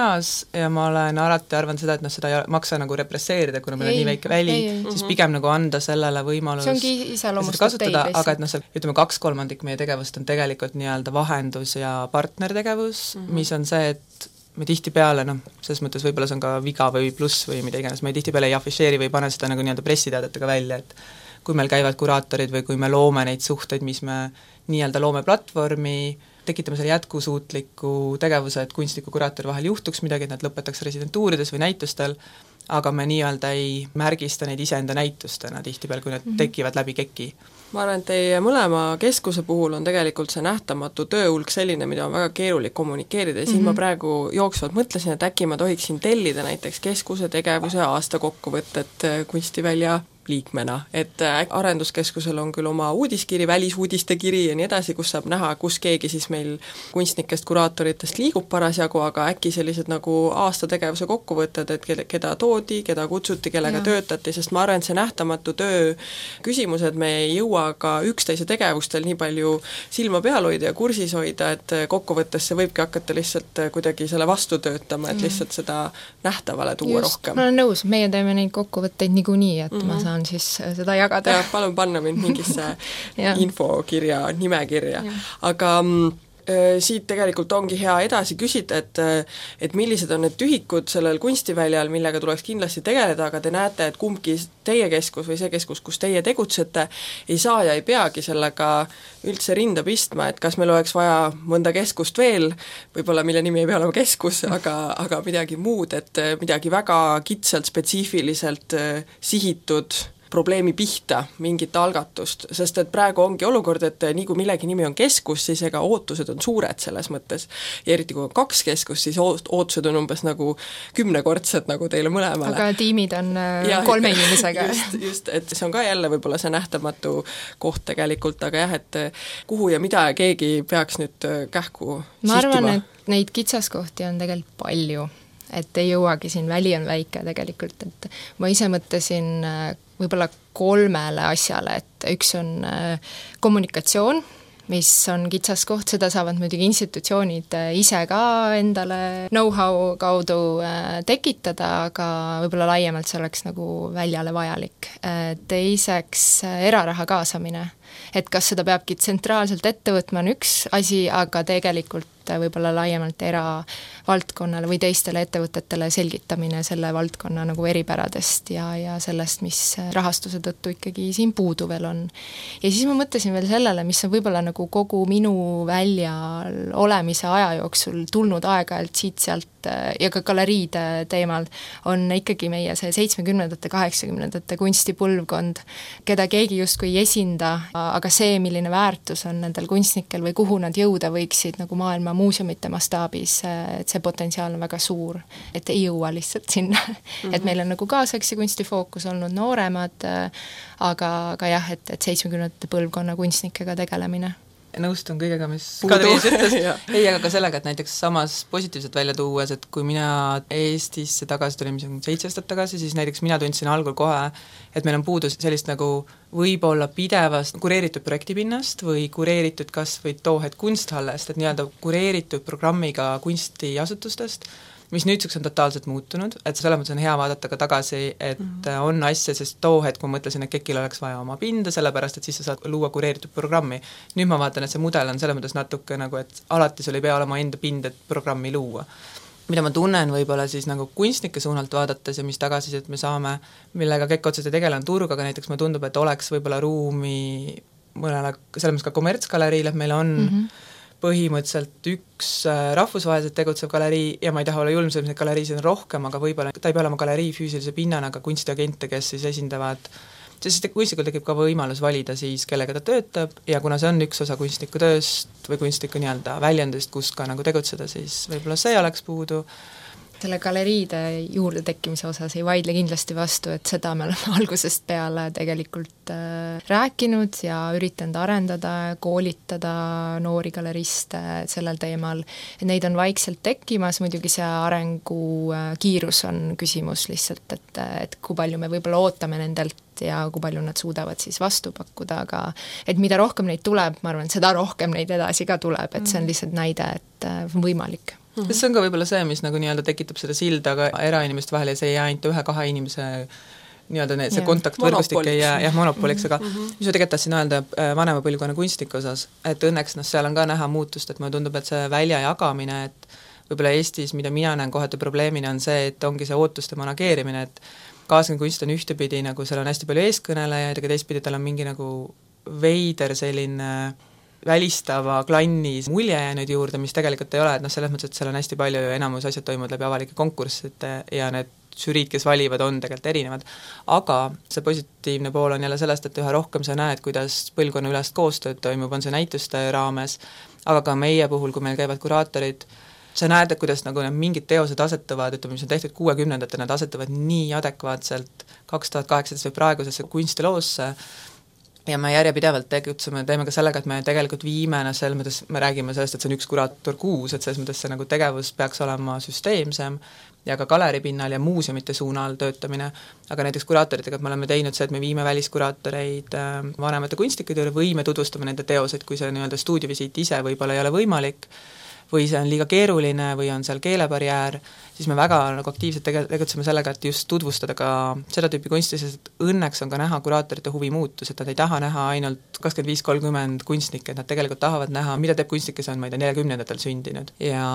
ja ma olen alati arvanud seda, et seda ei maksa nagu represseerida, kuna meil on nii väike väli, siis pigem nagu anda sellele võimalus see ongi iseloomustab teid lihtsalt. Aga et see, ütleme 2/3 meie tegevust on tegelikult nii-öelda vahendus ja partnertegevus, mis on see, et me tihtipeale, selles mõttes võib-olla see on ka viga või pluss või mida iganes, me tihtipeale ei afišeeri või pane seda nagu nii-öelda pressiteadetega välja, et kui meil käivad kuraatorid või kui me loome neid suhteid, mis me nii-öelda loome platvormi, tekitame selle jätkusuutliku tegevuse, et kunstniku kuraatori vahel juhtuks midagi, et nad lõpetaks residentuurides või näitustel, aga me nii-öelda ei märgista neid iseenda näitustena tihtipeal, kui need tekivad läbi KEK-i. Ma arvan, et teie mõlema keskuse puhul on tegelikult see nähtamatu tööhulk selline, mida on väga keerulik kommunikeerida ja siin ma praegu jooksvalt mõtlesin, et äkki ma tohiksin tellida näiteks keskuse tegevuse aastakokkuvõtet kunstivälja liikmena, et arenduskeskusel on küll oma uudiskiri, välisuudiste kiri ja nii edasi, kus saab näha, kus keegi siis meil kunstnikest, kuraatoritest liigub parasjagu, aga äkki sellised nagu aastategevuse kokkuvõtted, et keda toodi, keda kutsuti, kellega töötati, sest ma arvan, et see nähtamatu töö küsimused, me ei jõua ka üksteise tegevustel nii palju silma peal hoida ja kursis hoida, et kokkuvõttes see võibki hakata lihtsalt kuidagi selle vastu töötama, et lihtsalt seda nähtavale tuua rohkem. Ma olen nõus, meie teeme neid kokkuvõtteid niikuinii, et ma saan siis seda jagada. Ja, palun panna mind mingisse infokirja, nimekirja. Aga siit tegelikult ongi hea edasi küsida, et millised on need tühikud sellel kunstiväljal, millega tuleks kindlasti tegeleda, aga te näete, et kumbki teie keskus või see keskus, kus teie tegutsete, ei saa ja ei peagi sellega üldse rinda pistma, et kas meil oleks vaja mõnda keskust veel, võib-olla mille nimi ei pea olema keskus, aga midagi muud, et midagi väga kitsalt, spetsiifiliselt sihitud probleemi pihta, mingit algatust, sest et praegu ongi olukord, et nii kui millegi nimi on keskus, siis ega ootused on suured selles mõttes. Ja eriti kui on 2 keskust, siis ootused on umbes nagu 10-kordsed nagu teile mõlemale. Aga tiimid on 3 inimesega. Just, et see on ka jälle võib-olla see nähtamatu koht tegelikult, aga jah, et kuhu ja mida keegi peaks nüüd kähku sihtima. Ma arvan, et neid kitsaskohti on tegelikult palju, et ei jõuagi siin, väli on väike tegelikult, et ma ise mõtlesin võib-olla 3 asjale, et üks on kommunikatsioon, mis on kitsaskoht, seda saavad muidugi institutsioonid ise ka endale know-how kaudu tekitada, aga võib-olla laiemalt see oleks nagu väljale vajalik. Teiseks eraraha kaasamine, et kas seda peabki tsentraalselt ette võtma, on üks asi, aga tegelikult võib-olla laiemalt eravaldkonnale või teistele ettevõtetele selgitamine selle valdkonna nagu eripäradest ja sellest, mis rahastuse tõttu ikkagi siin puudu veel on. Ja siis ma mõtlesin veel sellele, mis on võib-olla nagu kogu minu väljal olemise aja jooksul tulnud aeg-ajalt siit-sealt ja ka galeriide teemal, on ikkagi meie see 70-ndate, 80-ndate kunstipõlvkond, keda keegi justkui ei esinda, aga see, milline väärtus on nendel kunstnikel või kuhu nad jõuda võiksid nagu maailma muuseumite mastaabis, et see potentsiaal on väga suur, et ei jõua lihtsalt sinna. Et meil on nagu kaasaegse kunsti fookus olnud nooremad, aga jah, et 70-ndate põlvkonna kunstnikega tegelemine. Nõustun kõigega, mis Kadriis ütles. Ei, aga ka sellega, et näiteks samas positiivselt välja tuues, et kui mina Eestisse tagasi tulin 7 aastat tagasi, siis näiteks mina tundsin algul kohe, et meil on puudus sellist nagu võib-olla pidevast kureeritud projektipinnast või kureeritud kas või toohed kunsthallest, et nii-öelda kureeritud programmiga kunstiasutustest, mis nüüdseks on totaalselt muutunud, et selles mõttes on hea vaadata ka tagasi, et on asja, sest too hetk ma mõtlesin, et KEK-il oleks vaja oma pinda, sellepärast et siis sa saad luua kureeritud programmi. Nüüd ma vaatan, et see mudel on selles mõttes natuke nagu, et alati sul ei pea olema enda pind, et programmi luua. Mida ma tunnen võib-olla siis nagu kunstnike suunalt vaadates ja mis tagasisidet me saame, millega KEK otseselt ei tegele, on turg, aga näiteks mulle tundub, et oleks võib-olla ruumi mõnele, selles mõttes ka kommertsgaleriile, et meil on põhimõtteliselt üks rahvusvaheliselt tegutsev galerii ja ma ei taha olla julm, selles mõttes galeriisid on rohkem, aga võib-olla ta ei pea olema galerii füüsilise pinnana, aga kunstiagente, kes siis esindavad, sest kunstnikul tekib ka võimalus valida siis, kellega ta töötab ja kuna see on üks osa kunstniku tööst või kunstniku nii-öelda väljendust, kus ka nagu tegutseda, siis võib-olla see oleks puudu. Selle galeriide juurde tekkimise osas ei vaidle kindlasti vastu, et seda me oleme algusest peale tegelikult rääkinud ja üritanud arendada, koolitada noori galeriste sellel teemal. Neid on vaikselt tekkimas, muidugi see arengu kiirus on küsimus lihtsalt, et kui palju me võib-olla ootame nendelt ja kui palju nad suudavad siis vastu pakkuda, aga et mida rohkem neid tuleb, ma arvan, seda rohkem neid edasi ka tuleb, et see on lihtsalt näide, et võimalik. See on ka võib-olla see, mis nagu nii-öelda tekitab seda silda ka erainimeste vahel ja see ei jää ainult 1-2 inimese nii-öelda see kontaktvõrgustik ei jää monopoliks, aga mis ma tegelikult tahtsin öelda vanema põlvkonna kunstniku osas, et õnneks seal on ka näha muutust, et mulle tundub, et see välja jagamine, et võib-olla Eestis, mida mina näen kohati probleemina, on see, et ongi see ootuste manageerimine, et kaasne kunst on ühtepidi, nagu seal on hästi palju eeskõnelejaid, aga teistpidi tal on mingi nagu veider selline välistava klannis mulje jäänud juurde, mis tegelikult ei ole, et selles mõttes, et seal on hästi palju ja enamus asjad toimuvad läbi avalike konkursside ja need žüriid, kes valivad, on tegelikult erinevad. Aga see positiivne pool on jälle sellest, et üha rohkem sa näed, kuidas põlvkonna ülest koostööd toimub, on see näituste raames, aga ka meie puhul, kui meil käivad kuraatorid sa näed, et kuidas nagu need mingid teosed asetuvad, ütleme, mis on tehtud 60-ndatel, nad asetuvad nii adekvaatselt 2018 või praegusesse kunstiloosse, ja me järjepidevalt teeme ka sellega, et me tegelikult viime, selles mõttes me räägime sellest, et see on üks kuraator kuus, et selles mõttes see nagu tegevus peaks olema süsteemsem ja ka galeripinnal ja muuseumite suunal töötamine, aga näiteks kuraatoritega me oleme teinud see, et me viime väliskuraatoreid vanemate kunstnike juurde või me tutvustame nende teoseid, kui see nii-öelda stuudiovisiit ise võib-olla ei ole võimalik, või see on liiga keeruline või on seal keelebarjäär, siis me väga nagu aktiivselt tegutseme sellega, et just tutvustada ka seda tüüpi kunsti, sest õnneks on ka näha kuraatorite huvi muutus, et nad ei taha näha ainult 25-30 kunstnikke, et nad tegelikult tahavad näha, mida teeb kunstnik, kes on, ma ei tea, 40-ndatel sündinud. Ja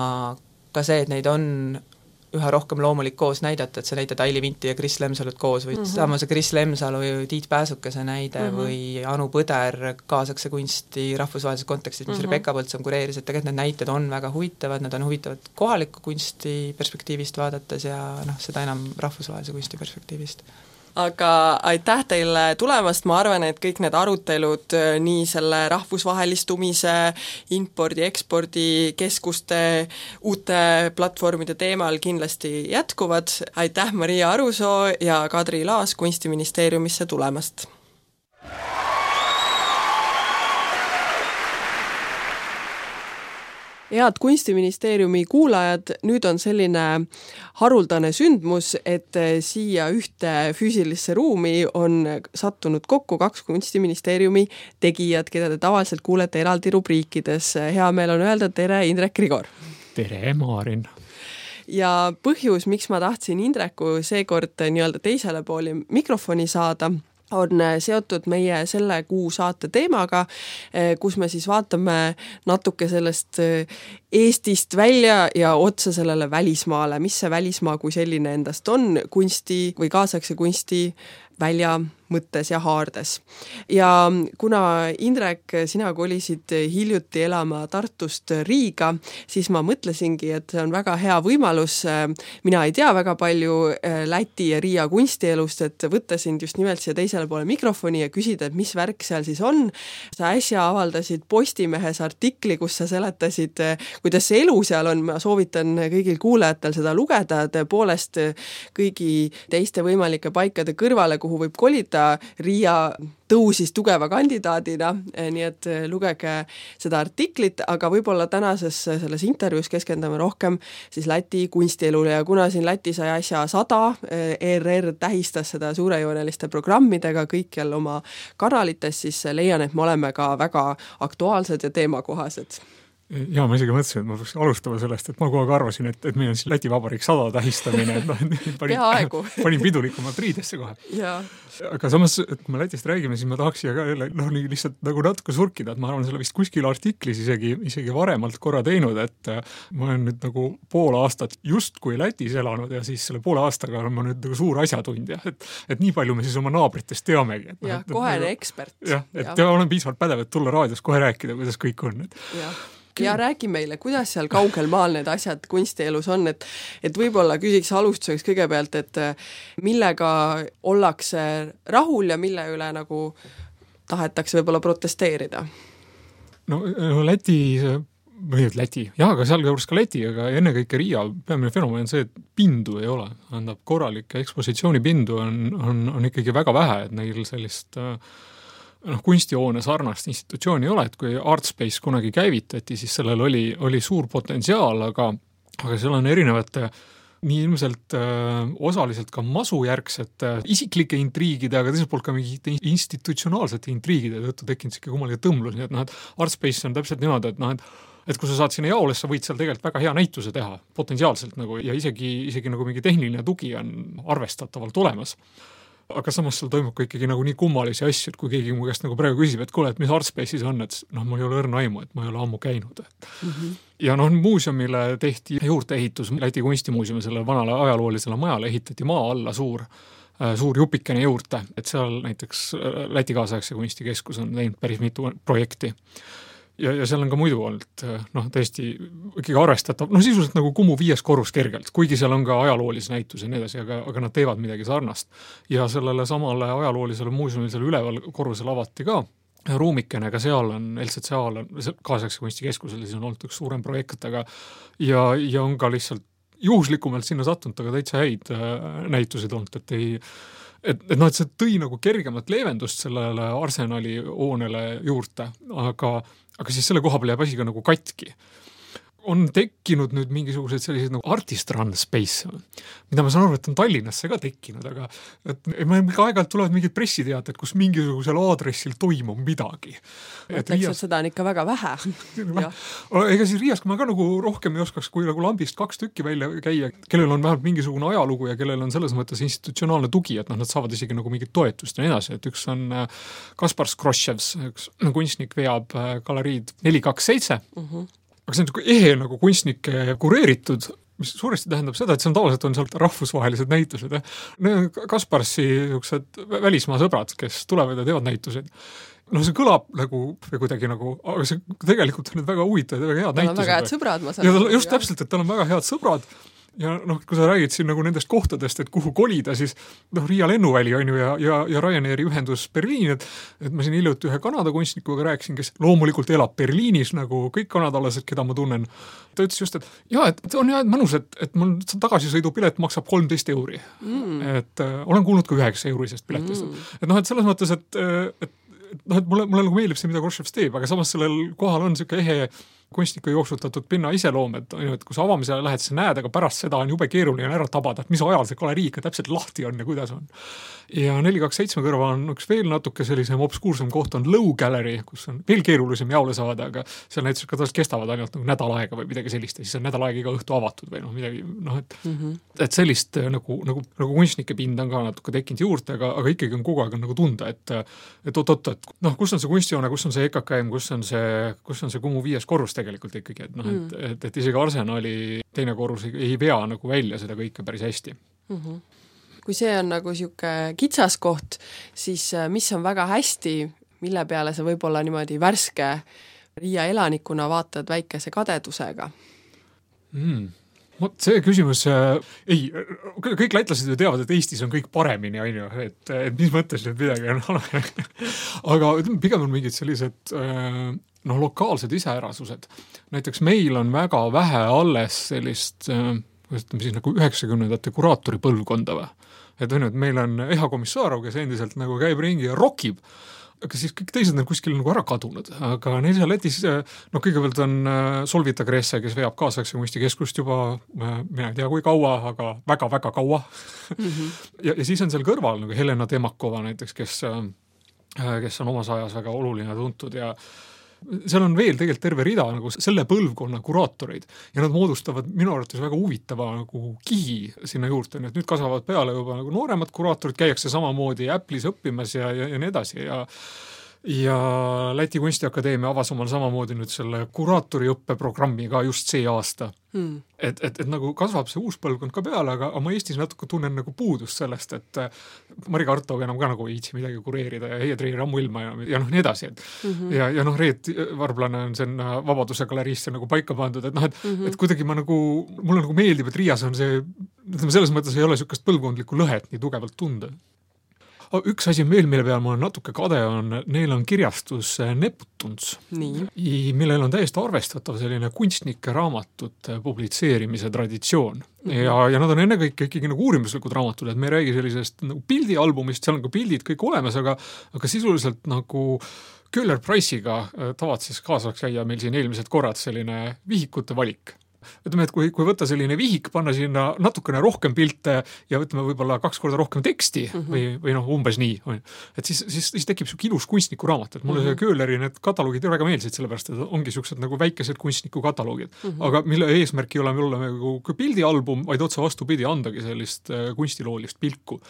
ka see, et neid on üha rohkem loomulik koos näidata, et sa näitad Aili Vinti ja Kris Lemsalut koos või sama see Kris Lemsalu ja Tiit Pääsukese näide või Anu Põder kaasakse kunsti rahvusvahelises kontekstis, mis Rebecca Põltsam kureeris, et tegelikult need näited on väga huvitavad, nad on huvitavad kohaliku kunsti perspektiivist vaadates ja seda enam rahvusvahelise kunsti perspektiivist. Aga aitäh teile tulemast, ma arvan, et kõik need arutelud nii selle rahvusvahelistumise, impordi, ekspordi, keskuste, uute platvormide teemal kindlasti jätkuvad. Aitäh Maria Arusoo ja Kadri Laas Kunstiministeeriumisse tulemast! Head Kunstiministeeriumi kuulajad, nüüd on selline haruldane sündmus, et siia ühte füüsilisse ruumi on sattunud kokku 2 Kunstiministeeriumi tegijad, keda te tavaliselt kuulete eraldi rubriikides. Hea meel on öelda tere, Indrek Grigor! Tere, Maarin! Ja põhjus, miks ma tahtsin Indreku seekord nii-öelda teisele pooli mikrofoni saada, on seotud meie selle kuu saate teemaga, kus me siis vaatame natuke sellest Eestist välja ja otsa sellele välismaale, mis see välismaa kui selline endast on kunsti või kaasaegse kunsti välja mõttes ja haardes. Ja kuna Indrek, sina kolisid hiljuti elama Tartust Riiga, siis ma mõtlesingi, et see on väga hea võimalus, mina ei tea väga palju Läti ja Riia kunstielust, et võtta sind just nimelt siia teisele poole mikrofoni ja küsida, et mis värk seal siis on. Sa äsja avaldasid Postimehes artikli, kus sa seletasid, kuidas see elu seal on, ma soovitan kõigil kuulajatel seda lugeda, tõepoolest kõigi teiste võimalike paikade kõrvale, kuhu võib kolida, Riia tõusis tugeva kandidaadina, nii et lugege seda artiklit, aga võib-olla tänases selles intervjuus keskendume rohkem siis Läti kunstielule ja kuna siin Läti sai asja 100, ERR tähistas seda suurejooneliste programmidega kõikjal oma kanalites, siis leian, et me oleme ka väga aktuaalsed ja teemakohased. Ja ma isegi mõtlesin, et ma peaks alustama sellest, et ma kogu aeg arvasin, et meil on siis Läti Vabariik 100 tähistamine, et panin pidulikumalt riidesse kohe. Ja. Aga samas, et kui me Lätist räägime, siis ma tahaks siia ka nii lihtsalt nagu natuke surkida, et ma arvan, selle vist kuskil artiklis isegi varemalt korra teinud, et ma olen nüüd nagu pool aastat justkui Lätis elanud ja siis selle poole aastaga olen ma nüüd nagu suur asjatundja, et nii palju me siis oma naabritest teamegi. Ja, kohene ekspert. Jah, et olen piisavalt pädev, et tulla raadios kohe rääkida, kuidas kõik on. Ja räägi meile, kuidas seal kaugel maal need asjad kunstielus on, et võib-olla küsiks alustuseks kõigepealt, et millega ollakse rahul ja mille üle nagu tahetakse võib-olla protesteerida? No Läti, aga seal juures ka Läti, aga ennekõike Riia peamine fenomen on see, et pindu ei ole. Korralikke ekspositsioonipindu on ikkagi väga vähe, et neil sellist kunstihoone sarnast institutsiooni ei ole, et kui Artspace kunagi käivitati, siis sellel oli suur potentsiaal, aga seal on erinevate nii ilmselt osaliselt ka masujärgsete isiklike intriigide, aga teiselt poolt ka mingite institutsionaalsete intriigide tõttu tekkinud siuke kummaline tõmlus, nii et Artspace on täpselt niimoodi, et kui sa saad sinna jaoles, sa võid seal tegelikult väga hea näituse teha, potentsiaalselt nagu, ja isegi nagu mingi tehniline tugi on arvestatavalt olemas. Aga samas seal toimub ka ikkagi nagu nii kummalisi asju, et kui keegi mu käest nagu praegu küsib, et kuule, et mis Artspace'is on, et mul ei ole õrna aimu, et ma ei ole ammu käinud. Ja muuseumile tehti juurteehitus, Läti kunstimuuseumi selle vanale ajaloolisele majale ehitati maa alla suur jupikene juurde, et seal näiteks Läti kaasaegse kunstikeskus on teinud päris mitu projekti. Ja seal on ka muidu olnud tõesti ikkagi arvestatav, sisuliselt nagu Kumu 5. korrus kergelt, kuigi seal on ka ajaloolise näitus ja nii edasi, aga nad teevad midagi sarnast. Ja sellele samale ajaloolisele muuseumile seal üleval korrusel avati ka ruumikene, ka seal on, LCCA-l on, kaasaegse kunstikeskusel siis on olnud üks suurem projekt, aga ja on ka lihtsalt juhuslikumalt sinna sattunud, aga täitsa häid näitusid olnud, et see tõi nagu kergemat leevendust sellele Arsenali hoonele juurde, aga siis selle koha peal jääb asi ka nagu katki. On tekkinud nüüd mingisugused sellised nagu artist run space, mida ma saan aru, et on Tallinnasse ka tekkinud, aga aeg-ajalt tulevad mingid pressiteated, kus mingisugusel aadressil toimub midagi. Seda on ikka väga vähe. Ega siis Riias ma ka nagu rohkem ei oskaks, kui nagu lambist 2 tükki välja käia, kellel on vähemalt mingisugune ajalugu ja kellel on selles mõttes institutsionaalne tugi, et nad saavad isegi nagu mingit toetust ja nii edasi, et üks on Kaspar Skroševs, üks kunstnik veab galeriid 427, aga see on ehe nagu kunstnike kureeritud, mis suuresti tähendab seda, et see on tavaliselt on sealt rahvusvahelised näitused. Kasparsi välismaa sõbrad, kes tulevad ja teevad näituseid. See kõlab nagu kuidagi nagu, aga see tegelikult on need väga huvitavad ja väga head näitused. Väga head sõbrad, ma saan. Ja just täpselt, et tal on väga head sõbrad. Ja kui sa räägid siin nagu nendest kohtadest, et kuhu kolida, siis Riia lennuväli on ju ja Ryanairi ühendus Berliin, et ma siin hiljuti ühe Kanada kunstnikuga rääkisin, kes loomulikult elab Berliinis, nagu kõik kanadalased, keda ma tunnen. Ta ütles just, et on mõnus, et mul tagasisõidupilet maksab 13 €. Et olen kuulnud ka 9 eurisest piletist. Et selles mõttes, et mulle nagu meeldib see, mida Korševs teeb, aga samas sellel kohal on selline ehe kunstniku jooksutatud pinna iseloom, et kui sa avamisele lähed, sa näed, aga pärast seda on jube keeruline ära tabada, et mis ajal see galerii ikka täpselt lahti on ja kuidas on. Ja 427 kõrval on üks veel natuke sellisem obskuursem koht on Low Gallery, kus on veel keerulisem jaule saada, aga seal näiteks ka kestavad ainult nagu nädal aega või midagi sellist ja siis on nädal aega iga õhtu avatud või midagi, et sellist nagu kunstnike pind on ka natuke tekkinud juurde, aga ikkagi on kogu aeg on nagu tunda, et kus on see kunstijoone, kus on see EKKM, kus on see Kumu 5. korrus tegelikult ikkagi, et isegi Arsenali teine korrus ei vea nagu välja seda kõike päris hästi. Kui see on nagu siuke kitsas koht, siis mis on väga hästi, mille peale sa võib-olla niimoodi värske Riia elanikuna vaatad väikese kadedusega? See küsimus, kõik lätlased ju teavad, et Eestis on kõik paremini, et mis mõttes nüüd midagi on aga pigem on mingid sellised lokaalsed iseärasused. Näiteks meil on väga vähe alles sellist siis nagu 90-ndate kuraatori põlvkonda või. Et meil on Eha Komissarov, kes endiselt nagu käib ringi ja rokib, aga siis kõik teised on kuskil nagu ära kadunud. Aga neil seal Lätis, kõigepealt on Solvita Gresse, kes veab kaasaegse kunstikeskust juba, mina ei tea kui kaua, aga väga-väga kaua. Ja siis on seal kõrval nagu Helena Temakova näiteks, kes on omas ajas väga oluline tuntud ja seal on veel tegelikult terve rida nagu selle põlvkonna kuraatoreid ja nad moodustavad minu arvates väga huvitava nagu kihi sinna juurde, et nüüd kasvavad peale juba nagu nooremad kuraatorid, käiakse samamoodi Apple'is õppimas ja nii edasi ja Läti Kunstiakadeemia avas omal samamoodi nüüd selle kuraatoriõppeprogrammi ka just see aasta. Et nagu kasvab see uus põlvkond ka peale, aga ma Eestis natuke tunnen nagu puudust sellest, et Mari Kartov enam ka nagu ei viitsi midagi kureerida ja Heie Treer ammu ilma ja nii edasi. Ja Reet Varblane on sen Vabaduse galeriisse nagu paika pandud, et kuidagi mulle nagu meeldib, et Riias on see, selles mõttes ei ole sellist põlvkondlikku lõhet nii tugevalt tunda. Üks asi veel, mille peal ma olen natuke kade on, neil on kirjastus Neptuns, millel on täiesti arvestatav selline kunstnike raamatute publitseerimise traditsioon. Ja nad on ennekõike ikkagi nagu uurimuslikud raamatud, et me ei räägi sellisest nagu pildialbumist, seal on ka pildid kõik olemas, aga sisuliselt nagu Köhler Price'iga tavad siis kaasaks käia meil siin eelmised korrad selline vihikute valik. Ütleme, et kui võtta selline vihik, panna sinna natukene rohkem pilte ja võtame võib-olla 2 korda rohkem teksti või umbes nii, et siis tekib siuke ilus kunstniku raamat, et mulle see Köhleri need kataloogid väga meeldisid, sellepärast, et ongi siuksed nagu väikesed kunstniku kataloogid, aga mille eesmärk ei ole nagu pildialbum, vaid otse vastupidi andagi sellist kunstiloolist pilku.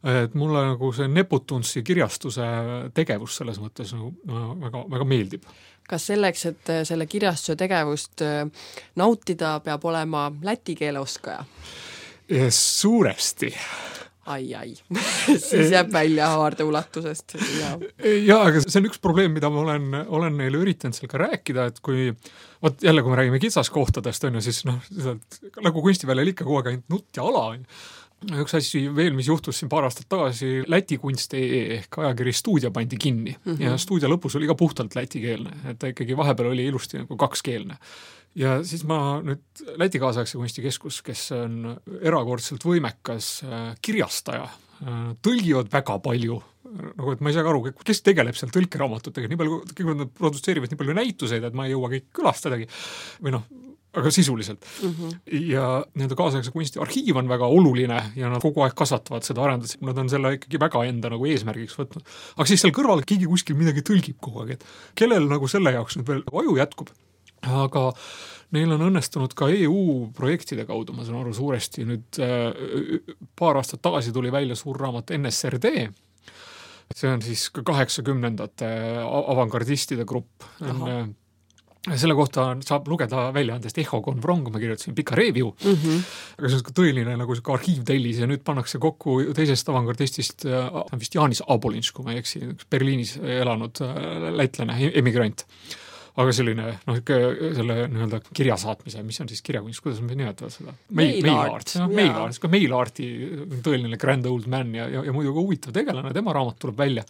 Et mulle nagu see Neputunsi kirjastuse tegevus selles mõttes väga, väga meeldib. Kas selleks, et selle kirjastuse tegevust nautida, peab olema läti keele oskaja? Suuresti. Ai. Siis jääb välja haarde ulatusest. Ja, aga see on üks probleem, mida ma olen neile üritanud seal ka rääkida, et kui me räägime kitsaskohtadest, siis nagu kunstiväljal ikka kogu aeg ainult nutt ja ala, üks asi veel, mis juhtus siin paar aastat tagasi, Läti kunst.ee ehk ajakiri Stuudia pandi kinni ja Stuudia lõpus oli ka puhtalt lätikeelne, et ta ikkagi vahepeal oli ilusti nagu kakskeelne. Ja siis ma nüüd Läti kaasaegse kunstikeskus, kes on erakordselt võimekas kirjastaja, tõlgivad väga palju, nagu et ma ei saa aru, kes tegeleb seal tõlkeraamatutega, nii palju, kõik nad produtseerivad nii palju näituseid, et ma ei jõua kõik külastadagi, või noh, aga sisuliselt. Ja nende kaasaegse kunsti arhiiv on väga oluline ja nad kogu aeg kasvatavad seda arendust, nad on selle ikkagi väga enda nagu eesmärgiks võtnud. Aga siis seal kõrval keegi kuskil midagi tõlgib kogu aeg, et kellel nagu selle jaoks nüüd veel aju jätkub. Aga neil on õnnestunud ka EU projektide kaudu, ma saan aru suuresti, nüüd paar aastat tagasi tuli välja suur raamat NSRD, see on siis 80ndate avangardistide grupp. Selle kohta saab lugeda väljaandest Echo Convrong, ma kirjutasin pika review, aga see on tõeline nagu see arhiivtellis ja nüüd pannakse kokku teisest avangardistist, vist Jaanis Abolinš, kui ma ei eksi, Berliinis elanud lätlane, emigrant. Aga selline, noh, selle nii-öelda kirjasaatmise, mis on siis kirjakunst, kuidas me nimetavad seda? Mail-arti tõeline grand old man ja muidu ka huvitav tegelane, tema raamat tuleb välja.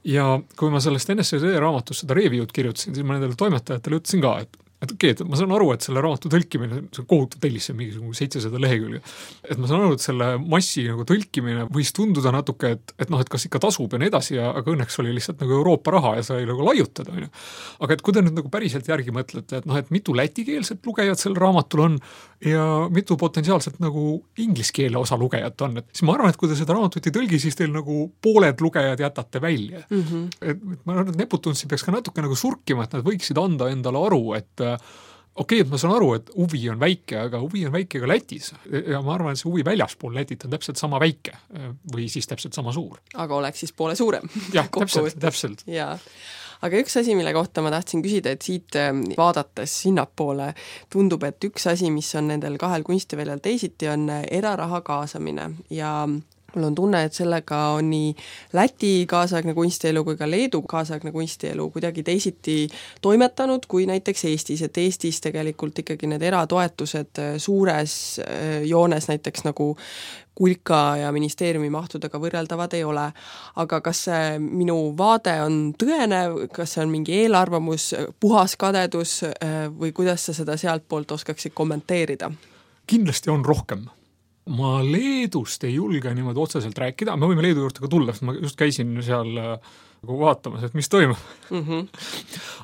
Ja kui ma sellest NSRD raamatust seda review'd kirjutasin, siis ma nendele toimetajatele ütlesin ka, et okei, et ma saan aru, et selle raamatu tõlkimine, see on kohutav tellis, see on mingi 700 lehekülge. Et ma saan aru, et selle massi nagu tõlkimine võis tunduda natuke, et noh, et kas ikka tasub ja nii edasi, aga õnneks oli lihtsalt nagu Euroopa raha ja sai nagu laiutada. Aga et kui te nüüd nagu päriselt järgi mõtlete, et noh, et mitu lätikeelset lugejat sel raamatul on ja mitu potentsiaalselt nagu ingliskeele osa lugejat on, et siis ma arvan, et kui te seda raamatut ei tõlgi, siis teil nagu pooled lugejad jätate välja. Et ma arvan, et Neputunsi peaks ka natuke nagu surkima, et nad võiksid anda endale aru, et okei, et ma saan aru, et huvi on väike, aga huvi on väike ka Lätis. Ja ma arvan, et see huvi väljaspool Lätit on täpselt sama väike või siis täpselt sama suur. Aga oleks siis poole suurem. Jah, täpselt. Jaa. Aga üks asi, mille kohta ma tahtsin küsida, et siit vaadates sinnapoole tundub, et üks asi, mis on nendel kahel kunstiväljal teisiti, on eraraha kaasamine ja mul on tunne, et sellega on nii Läti kaasaegne kunstielu kui ka Leedu kaasaegne kunstielu kuidagi teisiti toimetanud kui näiteks Eestis, et Eestis tegelikult ikkagi need eratoetused suures joones näiteks nagu kulka ja ministeeriumi mahtudega võrreldavad ei ole. Aga kas see minu vaade on tõene, kas see on mingi eelarvamus, puhas kadedus või kuidas sa seda sealt poolt oskaksid kommenteerida? Kindlasti on rohkem. Ma Leedust ei julge niimoodi otseselt rääkida, me võime Leedu juurde ka tulla, sest ma just käisin seal nagu vaatamas, et mis toimub.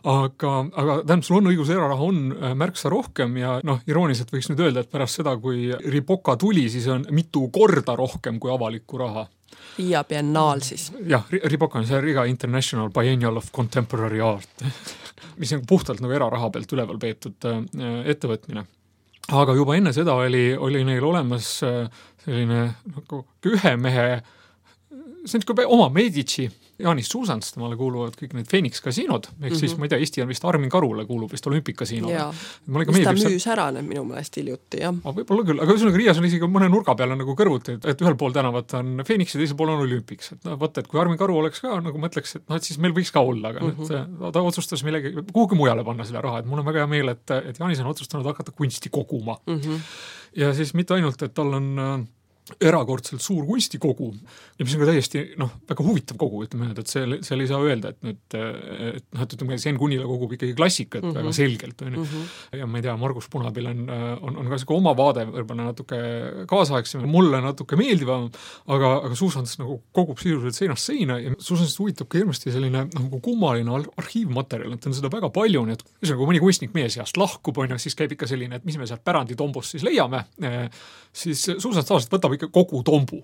Aga tähendab, sul on õigus, eraraha on märksa rohkem ja noh, irooniliselt võiks nüüd öelda, et pärast seda, kui Ripoka tuli, siis on mitu korda rohkem kui avalikku raha. Riia biennaal siis. Jah, Ripoka on see Riga International Biennial of Contemporary Art, mis on puhtalt nagu eraraha pealt üleval peetud ettevõtmine. Aga juba enne seda oli neil olemas selline nagu ühe mehe, see on niisugune oma Medici, Jaanis Suusans, temale kuuluvad kõik need Phoenix kasiinod, ehk siis ma ei tea, Eesti on vist Armin Karule kuulub vist olümpikasiinole. Mis ta müüs ära need minu meelest hiljuti, jah. Võib-olla küll, aga ühesõnaga Riias on isegi mõne nurga peale nagu kõrvuti, et ühel pool tänavat on Phoenix ja teisel pool on olümpiks. Et vaata, et kui Armin Karu oleks ka, nagu mõtleks, et et siis meil võiks ka olla, aga ta otsustas millegi, kuhugi mujale panna selle raha, et mul on väga hea meel, et Jaanis on otsustanud hakata kunsti koguma. Ja siis mitte ainult, et tal on erakordselt suur kunstikogu ja mis on ka täiesti väga huvitav kogu, ütleme, et seal ei saa öelda, et ütleme, Sen Kunila kogub ikkagi klassikat väga selgelt. Ja ma ei tea, Margus Punabil on ka see oma vaade võrba natuke kaasaegsem, mulle natuke meeldivam, aga Suusans nagu kogub sisuliselt seinast seina ja Suusansist huvitab ka hirmasti selline nagu kummaline arhiivmaterjal, et on seda väga palju, nii et kui mõni kunstnik meie seast lahkub, siis käib ikka selline, et mis me sealt päranditombust siis leiame, siis Suusans tavaliselt võtab ikka kogu tombu.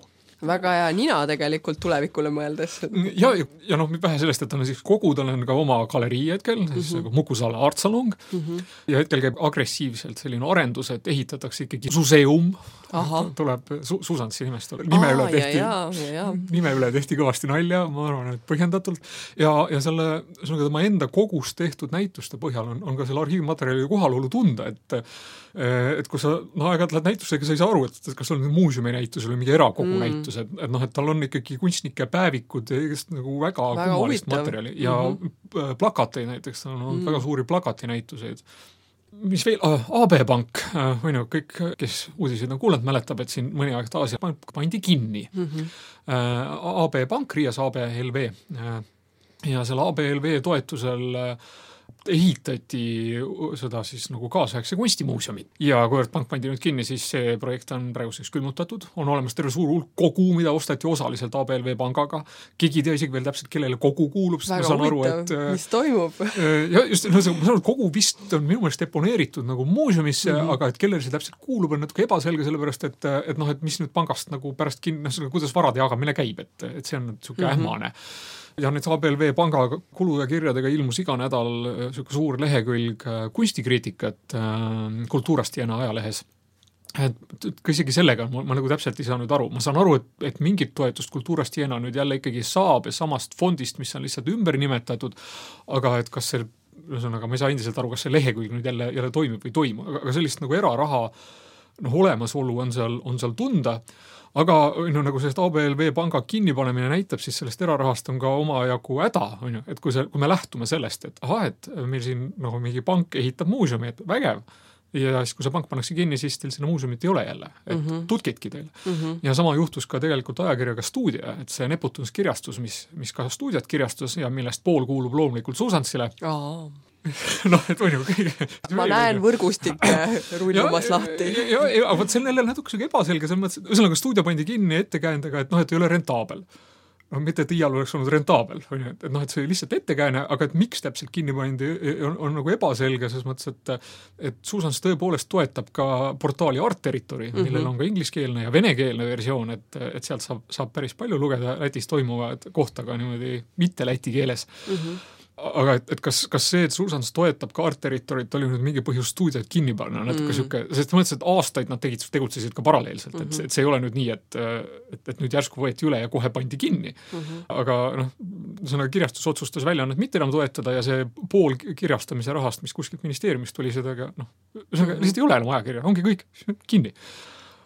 Väga hea nina tegelikult tulevikule mõeldes. Ja vähe sellest, et on siis kogu, tal on ka oma galerii hetkel, siis Mukusaale artsalong ja hetkel käib agressiivselt selline arendus, et ehitatakse ikkagi museum, tuleb Suusantsi nimest nime üle tehti kõvasti nalja, ma arvan, et põhjendatult ja selle tema enda kogus tehtud näituste põhjal on ka selle arhiivmaterjali kohalolu tunda, et kui sa aeg-ajalt lähed näitusega, sa ei saa aru, et kas on muuseumi näitus või mingi erakogu näitus, et tal on ikkagi kunstnike päevikud ja nagu väga kummalist materjali ja plakateid näiteks, on väga suuri plakatinäituseid. mis veel, AB Pank, või no kõik, kes uudiseid on kuulanud, mäletab, et siin mõni aeg taas pank pandi kinni. AB Pank, Riias ABLV ja selle ABLV toetusel ehitati seda siis nagu kaasaegse kunstimuuseumi. Ja kuivõrd pank pandi nüüd kinni, siis see projekt on praeguseks külmutatud. On olemas terve suur hulk kogu, mida ostati osaliselt ABLV pangaga. Keegi ei tea isegi veel täpselt, kellele kogu kuulub. Väga huvitav, mis toimub? Ja just, ma saan aru, kogu vist on minu meelest deponeeritud nagu muuseumisse, aga et kellele see täpselt kuulub, on natuke ebaselge, sellepärast, et mis nüüd pangast nagu pärast kinni, kuidas varade jagamine käib, et see on niisugune ähmane. Ja nüüd ABLV panga kulu ja kirjadega ilmus iga nädal suur lehekülg kunstikriitikat Kultuurast Jena ajalehes. Et isegi sellega ma nagu täpselt ei saa nüüd aru. Ma saan aru, et mingit toetust Kultuurast Jena nüüd jälle ikkagi saab ja samast fondist, mis on lihtsalt ümber nimetatud, aga et kas see, ühesõnaga, ma ei saa endiselt aru, kas see lehekülg nüüd jälle toimib või toimu, aga sellist nagu eraraha olemasolu on seal tunda. Aga nagu sellest ABLV panga kinnipanemine näitab, siis sellest erarahast on ka omajagu häda, et kui me lähtume sellest, et et meil siin nagu mingi pank ehitab muuseumi, et vägev, ja siis kui see pank pannakse kinni, siis teil sinna muuseumit ei ole jälle, et tutkitki teil. Ja sama juhtus ka tegelikult ajakirjaga Stuudia, et see Nepotunskirjastus, mis ka Stuudiat kirjastus ja millest pool kuulub loomulikult Susantsile. Et on ju kõige... Ma näen võrgustikke rullumas lahti. Ja võt see on jälle natuke ebaselge, ühesõnaga Stuudia pandi kinni ettekäändega, et ei ole rentaabel. Mitte et iial oleks olnud rentaabel, et see lihtsalt ettekääne, aga et miks täpselt kinni pandi on nagu ebaselge, selles mõttes, et Susans tõepoolest toetab ka portaali Art Territory, millel on ka ingliskeelne ja venekeelne versioon, et sealt saab päris palju lugeda Lätis toimuvad kohta ka niimoodi mitte läti keeles. Aga et kas see, et Susans toetab ka Art Territoryt, oli nüüd mingi põhjus Stuudiat kinni panna, natuke siuke, sest mõtlesin, et aastaid nad tegutsesid ka paralleelselt, et see ei ole nüüd nii, et nüüd järsku võeti üle ja kohe pandi kinni. Aga sõna kirjastus otsustas väljaannet mitte enam toetada ja see pool kirjastamise rahast, mis kuskilt ministeeriumist tuli seda, lihtsalt ei ole enam ajakirja, ongi kõik kinni.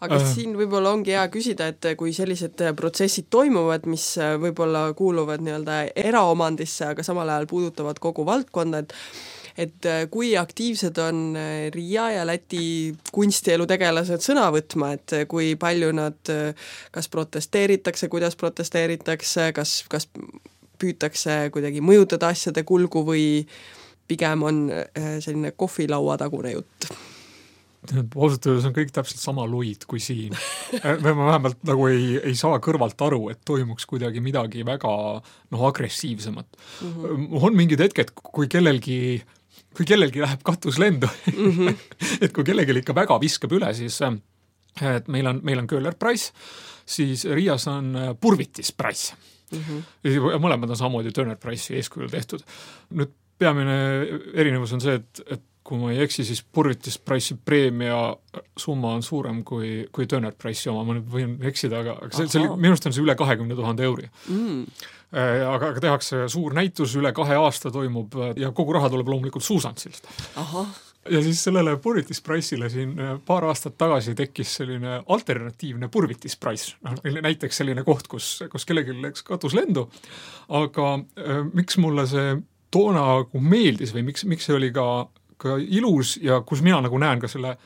Aga siin võib-olla ongi hea küsida, et kui sellised protsessid toimuvad, mis võib-olla kuuluvad nii-öelda eraomandisse, aga samal ajal puudutavad kogu valdkonda, et kui aktiivsed on Riia ja Läti kunstielu tegelased sõna võtma, et kui palju nad kas protesteeritakse, kuidas protesteeritakse, kas püütakse kuidagi mõjutada asjade kulgu või pigem on selline kohvilaua tagune jutt? Ausalt öeldes on kõik täpselt sama luid kui siin. Ma vähemalt nagu ei saa kõrvalt aru, et toimuks kuidagi midagi väga agressiivsemat. On mingid hetked, kui kellelgi läheb katus lendu, et kui kellelgi ikka väga viskab üle, siis et meil on Köhler Price, siis Riias on Purvitis Price. Mõlemad on samamoodi Turner Price'i eeskujul tehtud. Nüüd peamine erinevus on see, et kui ma ei eksi, siis Purvitis Price'i preemia summa on suurem kui Turner Price'i oma, ma nüüd võin eksida, aga minu arust on see üle 20 000 euri. Aga tehakse suur näitus, üle 2 aasta toimub ja kogu raha tuleb loomulikult Susansilt. Ja siis sellele Purvitis Price'ile siin paar aastat tagasi tekkis selline alternatiivne Purvitis Price. Näiteks selline koht, kus kellelgi läks katus lendu, aga miks mulle see toona meeldis või miks see oli ka ilus ja kus mina nagu näen ka selle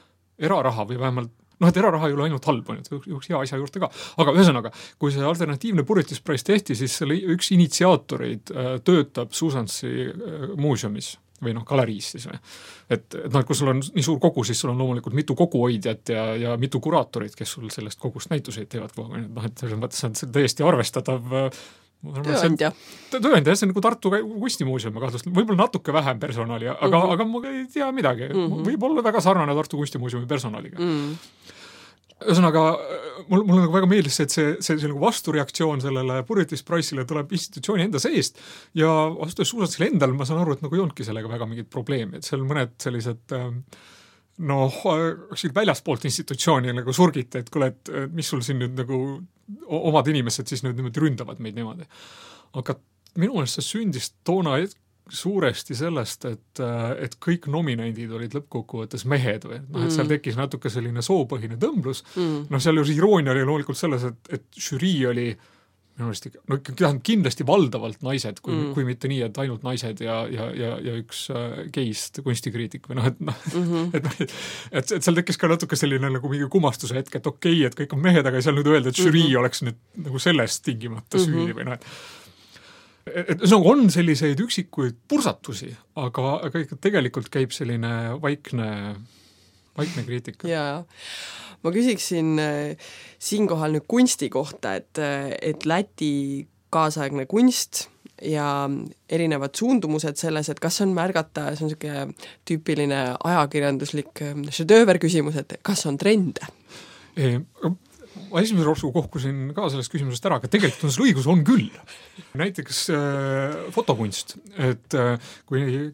eraraha või vähemalt, et eraraha ei ole ainult halb, üks hea asja juurde ka. Aga ühesõnaga, kui see alternatiivne Purvitis Price tehti, siis selle üks initsiaatoreid töötab Susansi muuseumis või galeriis siis. Et kui sul on nii suur kogu, siis sul on loomulikult mitu koguhoidjat ja mitu kuraatorit, kes sul sellest kogust näituseid teevad. Et selles mõttes on see täiesti arvestatav tööandja, see on nagu Tartu kunstimuuseumi kahtlustel, võib-olla natuke vähem personali, aga ma ei tea midagi, võib olla väga sarnane Tartu kunstimuuseumi personaliga. Ühesõnaga, mul nagu väga meeldis see, et see nagu vastureaktsioon sellele Purvitis Price'ile tuleb institutsiooni enda seest ja vastuses Susansil endal ma saan aru, et nagu ei olnudki sellega väga mingit probleemi, et seal mõned sellised väljaspoolt institutsiooni nagu surgite, et kuule, et mis sul siin nüüd nagu omad inimesed siis nüüd niimoodi ründavad meid niimoodi. Aga minu meelest see sündis toona suuresti sellest, et kõik nominendid olid lõppkokkuvõttes mehed või, et seal tekkis natuke selline soopõhine tõmblus. Seal ju iroonia oli loomulikult selles, et žürii oli minu meelest ikka, no kindlasti valdavalt naised, kui mitte nii, et ainult naised ja üks geist kunstikriitik või et seal tekkis ka natuke selline nagu mingi kumastuse hetk, et okei, et kõik on mehed, aga ei saa nüüd öelda, et žürii oleks nüüd nagu sellest tingimata süüdi või et on selliseid üksikuid pursatusi, aga ikka tegelikult käib selline vaikne kriitika. Jaa. Ma küsiksin siinkohal nüüd kunsti kohta, et Läti kaasaegne kunst ja erinevad suundumused selles, et kas on märgata, see on selline tüüpiline ajakirjanduslik šedööver küsimus, et kas on trende? Ma esimese ropsu kohkusin ka sellest küsimusest ära, aga tegelikult on seal õigus, on küll. Näiteks fotokunst, et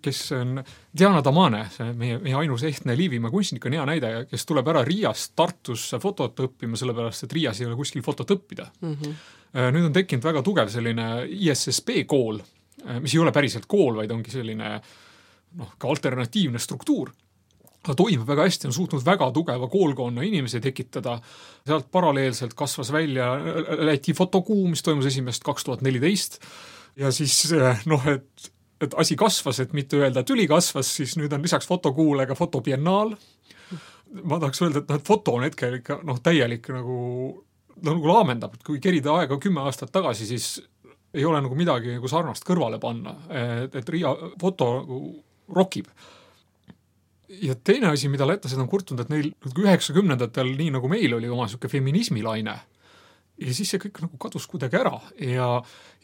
kes on Diana Damane, see meie ainus ehtne Liivimaa kunstnik on hea näide, kes tuleb ära Riiast Tartusse fotot õppima, sellepärast et Riias ei ole kuskil fotot õppida. Nüüd on tekkinud väga tugev selline ISSB kool, mis ei ole päriselt kool, vaid ongi selline ka alternatiivne struktuur. Ta toimib väga hästi, on suutnud väga tugeva koolkonna inimesi tekitada. Sealt paralleelselt kasvas välja Läti fotokuu, mis toimus esimest 2014. Ja siis, et asi kasvas, et mitte öelda, et üli kasvas, siis nüüd on lisaks fotokuule ka fotobiennaal. Ma tahaks öelda, et foto on hetkel ikka täielik nagu laamendab, et kui kerida aega 10 aastat tagasi, siis ei ole nagu midagi nagu sarnast kõrvale panna, et Riia foto rokib. Ja teine asi, mida lätlased on kurtunud, et neil 90-ndatel nii nagu meil oli oma selline feminismilaine ja siis see kõik nagu kadus kuidagi ära ja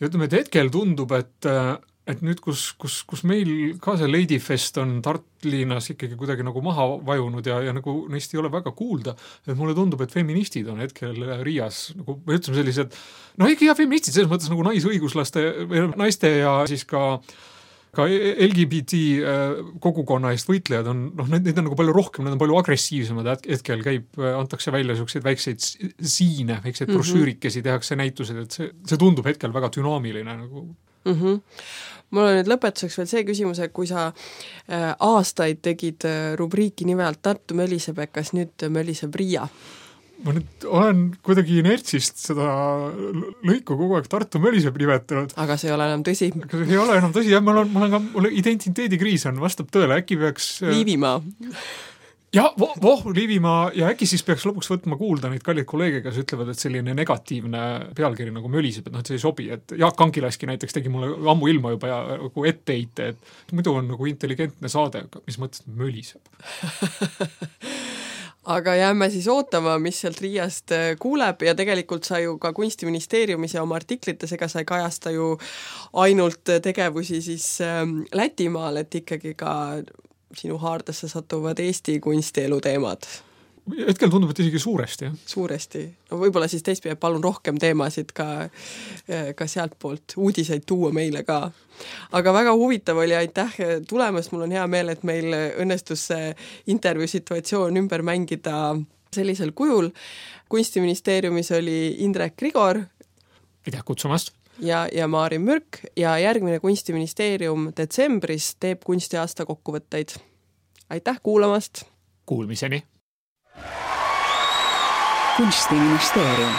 ütleme, et hetkel tundub, et nüüd, kus meil ka see Ladyfest on Tartlinnas ikkagi kuidagi nagu maha vajunud ja nagu neist ei ole väga kuulda, et mulle tundub, et feministid on hetkel Riias nagu, me ütleme sellised, ikka feministid selles mõttes nagu naisõiguslaste, naiste ja siis ka LGBT kogukonna eest võitlejad on, neid on nagu palju rohkem, need on palju agressiivsemad, hetkel antakse välja selliseid väikseid siine, väikseid brošüürikesi, tehakse näitused, et see tundub hetkel väga dünaamiline nagu. Mul on nüüd lõpetuseks veel see küsimus, et kui sa aastaid tegid rubriiki nimelt Tartu möliseb, kas nüüd möliseb Riia? Ma nüüd olen kuidagi inertsist seda lõiku kogu aeg Tartu möliseb nimetanud. Aga see ei ole enam tõsi. See ei ole enam tõsi, jah, mul identiteedikriis on, vastab tõele, äkki peaks... Liivimaa. Ja, Liivimaa, ja äkki siis peaks lõpuks võtma kuulda neid kallid kolleege, kes ütlevad, et selline negatiivne pealkiri nagu möliseb, et see ei sobi, et Jaak Ankilaski näiteks tegi mulle ammu ilma juba ja nagu etteheite, et muidu on nagu intelligentne saade, mis mõttes möliseb. Aga jääme siis ootama, mis sealt Riiast kuuleb ja tegelikult sa ju ka Kunstiministeeriumis ja oma artiklites, ega sa ei kajasta ju ainult tegevusi siis Lätimaal, et ikkagi ka sinu haardesse satuvad Eesti kunstielu teemad. Hetkel tundub, et isegi suuresti, jah. Suuresti. No võib-olla siis teistpidi palun rohkem teemasid ka sealt poolt uudiseid tuua meile ka. Aga väga huvitav oli, aitäh tulemast, mul on hea meel, et meil õnnestus see intervjuu situatsioon ümber mängida sellisel kujul. Kunstiministeeriumis oli Indrek Grigor. Aitäh kutsumast. Ja Maarin Mürk ja järgmine Kunstiministeerium detsembris teeb kunstiaasta kokkuvõtteid. Aitäh kuulamast! Kuulmiseni! Kunstiministeerium